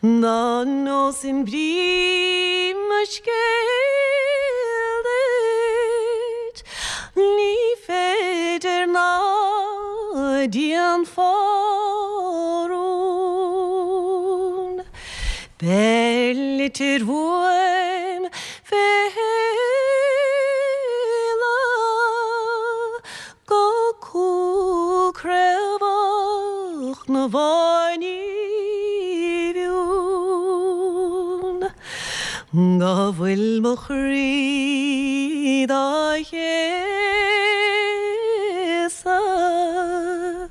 Dá neosfainn brí mo scéil duit, ní féidir ná déanfá rún. Beir litir uaim fé shéala go cúl craobhach na bhfáinní bhfuil mo chroí dá chéasadh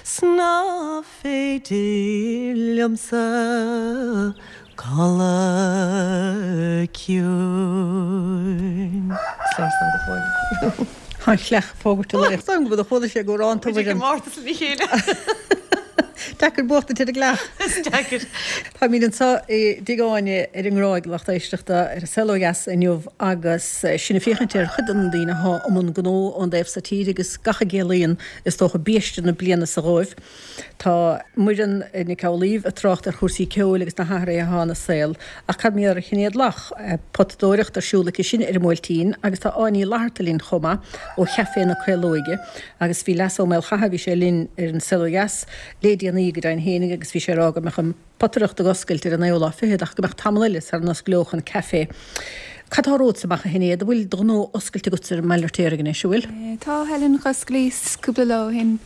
's ná féidir liomsa codladh ciúin. Tá an chleach ag fógairt a lae. Is dóigh liom go bhfuil chuala sé go raibh an Muid ag mórtas lena chéile. Deacair buachtaint ar an gcleach. Is deacair. Táimid anseo i dTigh Áine ar an nGráig, lucht éisteachta, ar an Saol Ó Dheas inniu agus sinn ag féachaint ar chuid de na daoine atá i mbun gnó ón dtaobh so tíre agus gach a gciallaíonn, is dócha, biaiste na bliana so dhóibh. Tá Muireann Nic Amhlaoibh ag trácht ar chúrsaí ceoil agus na hathruithe atá ina saol, ach cad mar gheall ar Shinéad Locke? Potadóireacht ar siúl aici sin ar an mBuailtín agus tá Áine Ní Fhlatharta linn chomh maith ó Chaifé na Caolóige agus bhí Leasa Ó Maolchatha, bhí sé linn ar an Saol Ó Dheas le déanaí go deimhin fhéinig agus bhí sé ag rá go mbeadh an potaireacht ag oscailt ar an naoú lá fichead ach go mbeadh tamall eile sara n-osclódh an caifé. Cad tá romhatsa amach a Shinéad? An bhfuil do ghnó oscailte agatsa ar an mBaile Fheirtéaraigh anois, an bhfuil? Tá, Helen, dh'osclaíos cúpla lá ó shin.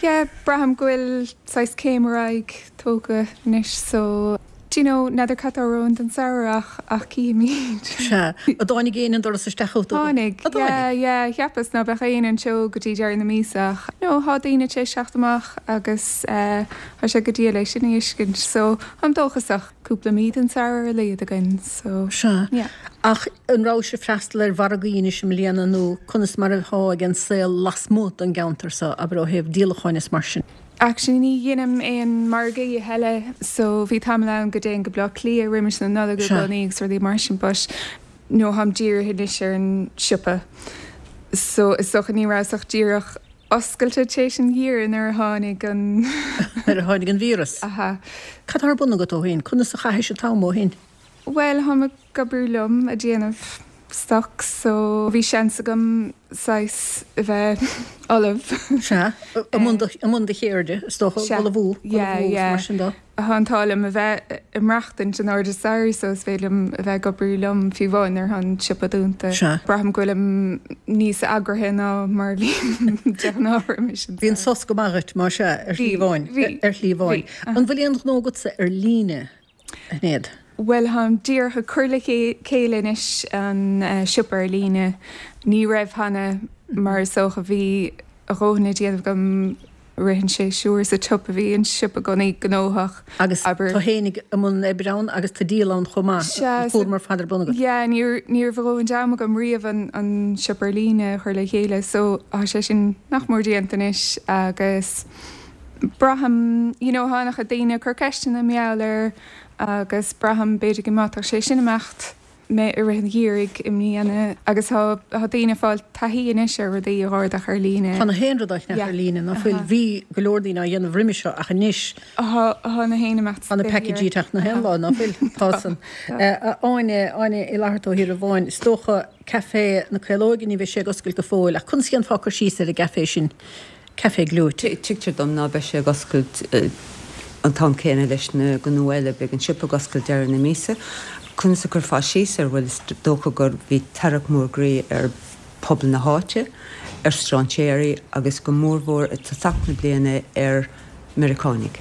Yeah, braithim go bhfuil saghas céim ar aghaidh tógtha anois so do you know, n'fheadar cad tá romhainn don samhradh ach ach cífimid. Sea. An dtáinig éinne an doras isteach chugat? Tháinig, An dtáinig? yeah, yeah, cheapas ná beadh éinne anseo go dtí deireadh na míosa ach no, thá daoine tar éis teacht amach agus eh thá sé go diail é sin a fheiscint so táim dóchasach. Cúpla mí den samhradh ar a laghad againn so Sea. yeah. Ach an rabhais ag freastal ar mhargaí anois i mbliana nó conas mar atá ag an saol lasmuigh den gceantar so, abair ó thaobh díolacháin is mar sin? Actually ní dheinim aon margaí a thuilleadh so bhí tamall ann go dtéinn go Bleá Cliath roimis na Nollag i Sea. gcónaí agus rudaí mar sin but no tháim dírithe anois ar an siopa so is dócha ní rabhas ach díreach oscailte tar éis an gheimhridh nuair a tháinig an. Nuair a tháinig an víreas. Aha. Cad tá ar bun agat ó shin? Conas a chaithis an t-am ó shin? Bhuel, tháim ag oibriú liom ag déanamh stoc so bhí seans agam saghas a bheith ullamh. Sea, i mbun do, i mbun do cheirde, is dócha, Sea. ag ullmhú, ag Yeah, ullmhú agus yeah. mar sin de. Tá an t-ádh liom a bheith ag maireachtaint in airde staighre so is féidir liom a bheith ag oibriú liom fiú amháin nuair atá an siopa dúnta. Sea. Braithim go bhfuilim níos eagraithe ná mar a bhím de ghnáth roimis an Bhí an sos go maith dhuit, más ea, ar shlí Bhí, amháin, bhí, ar shlí amháin. bhí. An bhfuil aon ghnó agatsa ar líne, a Shinéad? Bhuel, táim díreach ag cur le chéile anois an siopa ar líne. Ní raibh cheana mar is dócha bhí a dhóthain le déanamh agam i rith an séasúir sa tsiopa, bhí an siopa i gcónaí gnóthach, Agus abair. tú fhéinig i mbun oibre ann agus tá díol ann chomh maith, Sea, an cúram ar fad ar bun agat. Yeah, ní ní raibh a dhóthain d'am agam riamh an an siopa ar líne a chur le chéile so tá sé sin nach mór déanta anois agus braithim, you know, tá an-chuid daoine ag cur ceisteanna mar gheall air agus braithim b'fhéidir go mbeadh sé sin imeacht. mé i rith an gheimhridh i mbliana agus tá tá daoine ag fáil taithí anois ar rudaí a dh'ordach ar líne. Tá na haon rud á cheannach Yeah. ar líne, ná fuil? Aha. Bhí go leor daoine á dhéanamh roimhe seo ach anois Tá tá na haon imeacht tá na packages ag teacht na haon lá, ná fuil? Tá san. Tá. Áine, Áine Uí Fhlatharta ó Thír an Bháin, is dócha Café na Caolóige, ní bheidh sé ag oscailt go fóill ach conas a dhéanfá cur síos ar an gcafé sin? Café Gleoite. Tuigtear dom ná beidh sé ag oscailt an t-am céanna leis na gnó eile, beidh an siopa ag oscailt deireadh na míosa. Conas a chuirfeá síos air? Bhuel, is dócha gur bhí tarrac mór groí ar phobal na háite, ar strainséirí agus go mórmhór i dtosach na bliana ar Meiriceánaigh.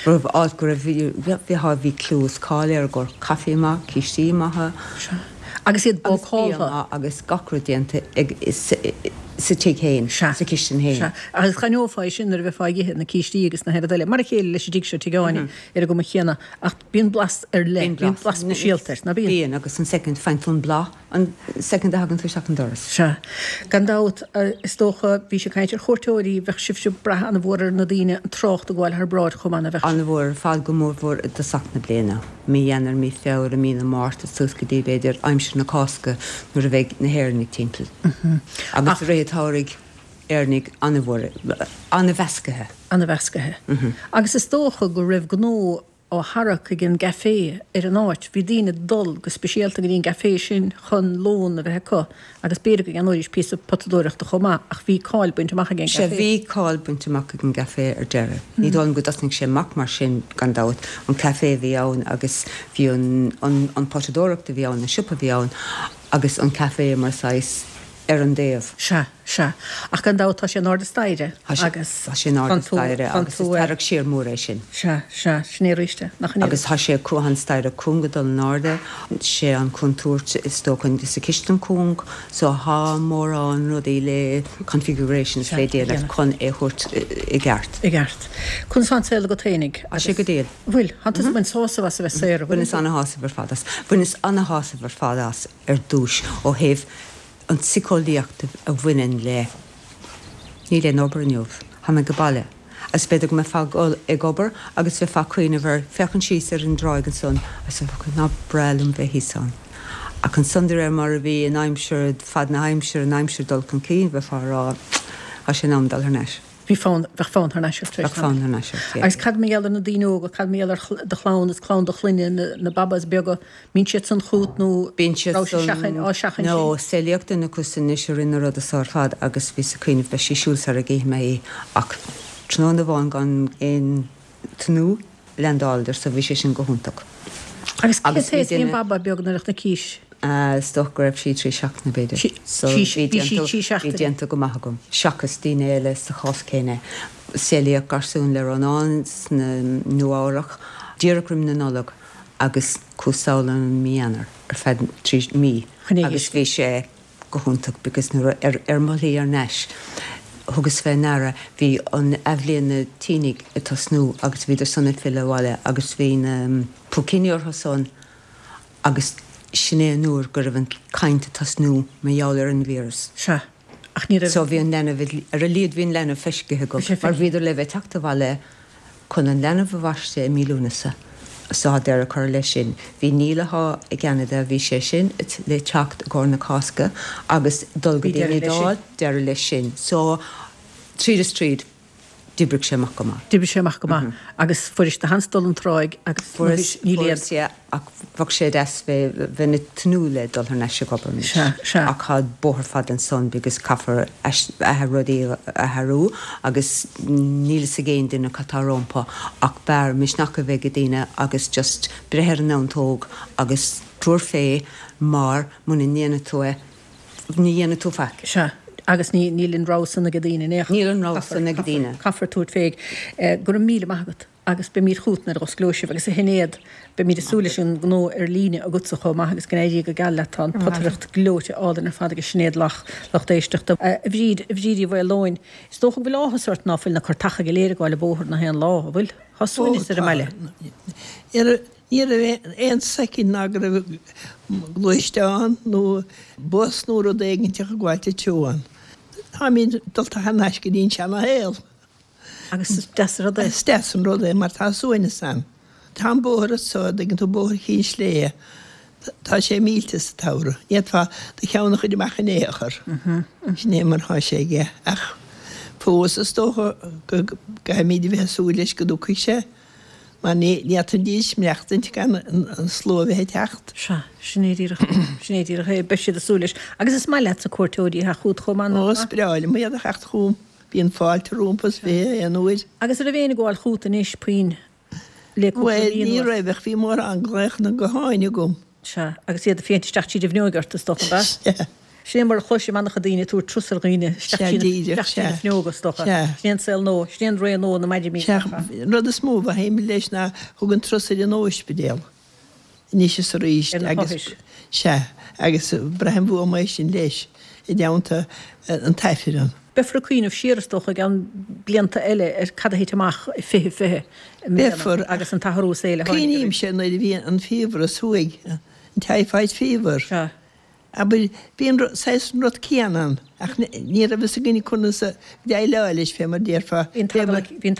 Raibh áit go raibh, bhí, bhí clú is cáil air go raibh caife maith, cístí maithe. Agus iad Agus bia bácáltha. maith agus gach rud déanta ag, sa tigh féin, Sea. sa chistin féin. Sea. Agus d'aithneofá é sin nuair a bheifeá ag ithe na cístí agus na haon rud eile. Mar a chéile leis an dtigh seo, Tigh Áine, ar an gcuma chéanna. Ach bíonn blas ar leith, Bíonn bíonn blas speisialta air, ná bíonn? Bíonn, agus an soicind, faigheann tú an blas an soicind a thagann tú isteach an doras. Sea. Gan dabht, is dócha, bhís ag caint ar chuairteoirí, bheadh sibhse ag brath an-mhór ar na daoine an trácht a ghabháil thar bráid chomh maith, ná bheadh? An-mhór ar fad, go mórmhór i dtosach na bliana, mí Eanáir, mí Feabhra, mí na Márta, suas go dtí, b'fhéidir, aimsir na Cásca nuair a bheidh na hÉireannaigh timpeall. Agus i rith an tsamhraidh, Éireannaigh an-mhór, an-mheascaithe. An-mheascaithe. Agus is dócha go raibh gnó á tharrac ag an gcaifé ar an áit. Bhí daoine ag dul go speisialta go dtí an gcaifé sin chun lón a bheith acu agus b'fhéidir go gceannóidís píosa potadóireachta chomh maith ach bhí cáil bainte amach ag an Sea, gcaifé. bhí cáil bainte amach ag an gcaifé ar deireadh. Ní dóigh liom go dtosnaigh sé amach mar sin, gan dabht. An caifé a bhí ann agus bhí an, an, an potadóireacht a bhí ann, an siopa a bhí ann agus an caifé mar saghas ar an dtaobh. Sea, sea. Ach gan dabht tá sé in airde staighre agus Tá sé in airde staighre agus is tarrac siar mór é sin. Sea, sea, sin é arís é, nach in é? Agus tá sé cúng an staighre cúng ag dul in airde, sé an contúirt is dócha sa chistin cúng, so tá mórán rudaí le configurations le déanamh chun é thabhairt i gceart. I gceart. Conas tá an saol agat fhéinig? Tá sé go diail. Bhfuil, tá tú ag baint sásamh as a bheith saor, an bhfuil? Bhaineas ana-shásamh ar fad as. Bhaineas ana-shásamh ar fad as ar dtúis ó thaobh an tsiceolaíocht a bhaineann le níl aon obair inniu, tá mé ag baile. Agus b'fhéidir go mbeifeá ag dul ag obair agus bheifeá ag cuimhneamh ar, féachaint síos ar an dtráigh ansan agus bheifeá ag cuimhneamh, nach breá liom bheith thíos ann. Ach ansan de réir mar a bhí an aimsir, fad na haimsire, an aimsir dul chun cinn, bheifeá ag rá, tá sé in am dul thar n-ais. Bhí fonn, bheadh fonn thar n-ais ort tar éis Bheadh fonn thar n-ais ort, yeah. Agus cad mar gheall ar na daoine óga, cad mar gheall ar do chlann is clann do chlainne, na, na babas beaga, mbíonn siad san chugat nó Bíonn siad raibh siad san, seachain, á seachaint no, sin? saolaíodh duine acu san anois i rith na ruda so ar fad agus bhíos ag cuimhneamh beidh sí ag siúl sara gcífidh mé í ach tráthnóna amháin gan aon tnúth leaindeáladar so bhí sé sin go hiontach. Agus cé Agus bhí taobh bhí an duine. baba beag nuair a chonaicis? Is dócha go raibh sí trí seachtaine b'fhéidir. So Bhí bhí sí déanta trí bhí seachtaine. déanta go maith agam. Seachas daoine eile sa chás céanna. Saolaíodh garsún le Rónán sna Nua Eabhrach díreach roim na Nollag agus chuas sall ann mí Eanáir ar feadh trí mí agus bhí sé go hiontach because nuair ar ar mo shlí ar n-ais thugas fé ndeara bhí an athbhliain na tínigh ag tosnú agus bhíodar san ag filleadh abhaile agus bhí na púicíní orthu san agus sin é an uair go raibh an caint ag tosnú mar gheall ar an víreas. Sea, ach ní raibh. So bhí an leanbh, ar a laghad bhí an leanbh feiscithe agam, Bhí sé mar feicthe. bhíodar le bheith ag teacht abhaile chun an leanbh a bhaisteadh i mí Lúnasa. So tá deireadh curtha leis sin. Bhí Neil atá i gCeanada, bhí sé sin le teacht i gcomhair na Cásca agus dul go Bhí dtí an deireadh leis sin. Iodáil, deireadh leis sin. So tríd is tríd, d'oibrigh sé amach go maith. D'oibrigh sé amach go maith agus fuairis do sheans dul an tráigh agus Fuaireas, níl aon. fuaireas, yeah, ach bheadh sé deas bheith, bheith ag tnúth le dul thar n-ais ag obair anois. Sea, sea. Ach tá bóthar fada ansan because caithfear rudaí a athrú agus níl fhios ag aon duine cad tá rompu ach b'fhearr misneach a bheith ag daoine agus just breith ar an neantóg agus tabhair fé mar muna ndéanfaidh tú é, ní dhéanfaidh tú faic. Sea, agus ní, níl an rogha san ag daoine in aon chor. Níl an rogha san ag daoine. Caithfear tabhairt fé. Go raibh míle maith agat agus beimid chugat nuair a osclóidh sibh agus a Shinéad, beimid ag súil leis an ngnó ar líne agatsa chomh maith agus go n-éirí go geal leat. Tá an potaireacht gleoite álainn ar fad ag Sinéad Lach, lucht éisteachta. A Bhríd, a Bhríd Uí Mhaoileoin, is dócha go bhfuil áthas ort ná fuil na cairteacha go léir ag gabháil an bóthar na haon lá, an bhfuil? Tá Ó, suaimhneas ar an tá. mbaile. Ní raibh aon soicind ná go raibh gluaisteán nó bus nó rud éiginteach ag gabháilt an treo ann. Táimid dulta thar n-ais go dtí an seana-shaol. Agus is deas an rud é. Is deas an rud é mar tá suaimhneas ann. Tá an bóthar anso, an dtuigeann tú, bóthar Chinn Sléibhe, tá sé millte sa tsamhradh. Ní fhéadfá do cheann a chur amach in aon chor. Sin é mar thá sé aige. Ach fós is dócha go gcaithfimid a bheith ag súil leis go dtiocfaidh sé. Mar ní fhéadfaidís maireachtaint gan an slua a bheith ag teacht. Sea, sin é díreach, sin é díreach é. Beidh siad ag súil leis. Agus is maith leatsa cuairteoirí a theacht chugat chomh maith, Ó, nach is maith? breá liom iad a theacht chugam. Bíonn fáilte rompu is fiche aon uair. Agus an raibh éinne ag gabháil chugat anois puinn le cúpla Bhuel, mí ní anuas? raibh ach bhí mórán glaochanna gutháin agam. Sea, agus iad ag féachaint isteach tríd an bhfuinneog ort, is dócha, ab ea? Sea. Sin é mar a chloisim an-chuid daoine ag tabhairt turas ar dhaoine isteach Sea, tríd díreach, isteach tríd na sea. fuinneoga, is dócha. Sea. Sin é an saol nua, sin é an ré nua na maidimí. Sea, an rud is mó a mhothaím leis ná thug an turas ar an óispidéal anois is arís Ar na agus, hothair. sea, agus braithim uaim é sin leis, i dteannta an t-aifreann. Beifear ag cuimhneamh siar, is dócha, i gceann blianta eile ar cad a thit amach i fiche fiche i mbliana Beifear. agus an t-athrú saoil a tháinig orainn. Cuimhnímse nuair a bhí an fiabhras thuaidh, an typhoid fever. Sea. Abair, bhí an saghas an rud céanna ann, ach ní raibh fhios againn conas a dhéileáil leis, fé mar déarfá. Bhí an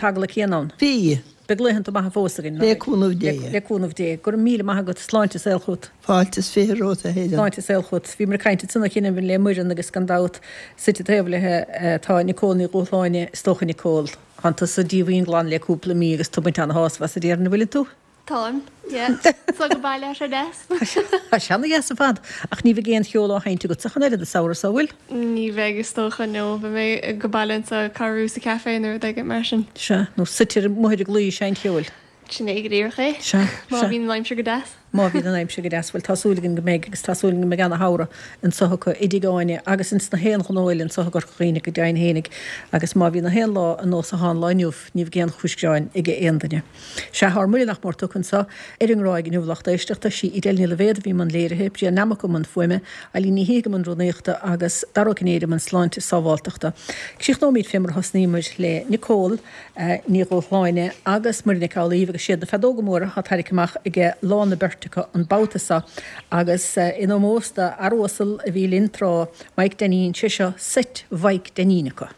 t-eagla céanna ann. Bhí. Beidh laethanta maithe fós againn, Le cúnamh Dé. Le cúnamh Dé. Go raibh míle maith agat. Sláinte is saol chugat. Fáilte is fiche romhat, a Helen. Sláinte is saol chugat. Bhíomar ag caint ansan ó chianaibh le Muireann agus gan dabht suite taobh léi tá Nicole Ní Dhúshláine, is dócha Nicole, tánn tusa díomhaoin glan le cúpla mí agus tú ag baint ana-shásamh as a déarfainn, an bhfuileann tú? Táim, yeah. So go baile ar deas. Tá sé ana-dheas ar fad, ach ní bheidh aon cheol á sheinnt agatsa ach an oiread an samhradh seo, bhfuil? Ní bheidh is dócha, no. Beidh mé go baile anseo ag cabhrú sa café nó rud éigin mar sin. Sea, nó suite amuigh ar an gclaí ag seinnt cheoil. Sin é go díreach é. Sea, Má sea. bhíonn an aimsir go deas. Má bhíonn an aimsir go deas, bhuel tá súil againn go mbeidh agus tá súil againn go mbeidh ana-shamhradh anso acu i dTigh Áine agus ins na haon ghnó eile anso i gCorca Dhuibhne go deimhin fhéinig agus má bhíonn na haon lá ar nós atá an lá inniu ní bheidh aon chúis gearáin ag aon duine. Sea, ár mbuille nach mór tugtha anso ar an nGráig inniu a lucht éisteachta, sí Edel Ní Loibhéad a bhí i mbun léirithe, Brian Nammock i mbun fuaime, Eileen Ní Shíthigh i mbun rúnaíochta agus Dara Ó Cinnéide i mbun sláinte is sábháltachta. Críochnóimid fé mar a thosnaíomar le Nicole Ní Dhúshláine agus Muireann Nic Amhlaoibh agus siad na feadóga móra atá tarraicthe amach aige lá na beirte acu an babhta seo agus in ómós do fhear uasal a bhí linn tráth, Mike Dainín, sé seo seit Mhaidhc Dainín acu.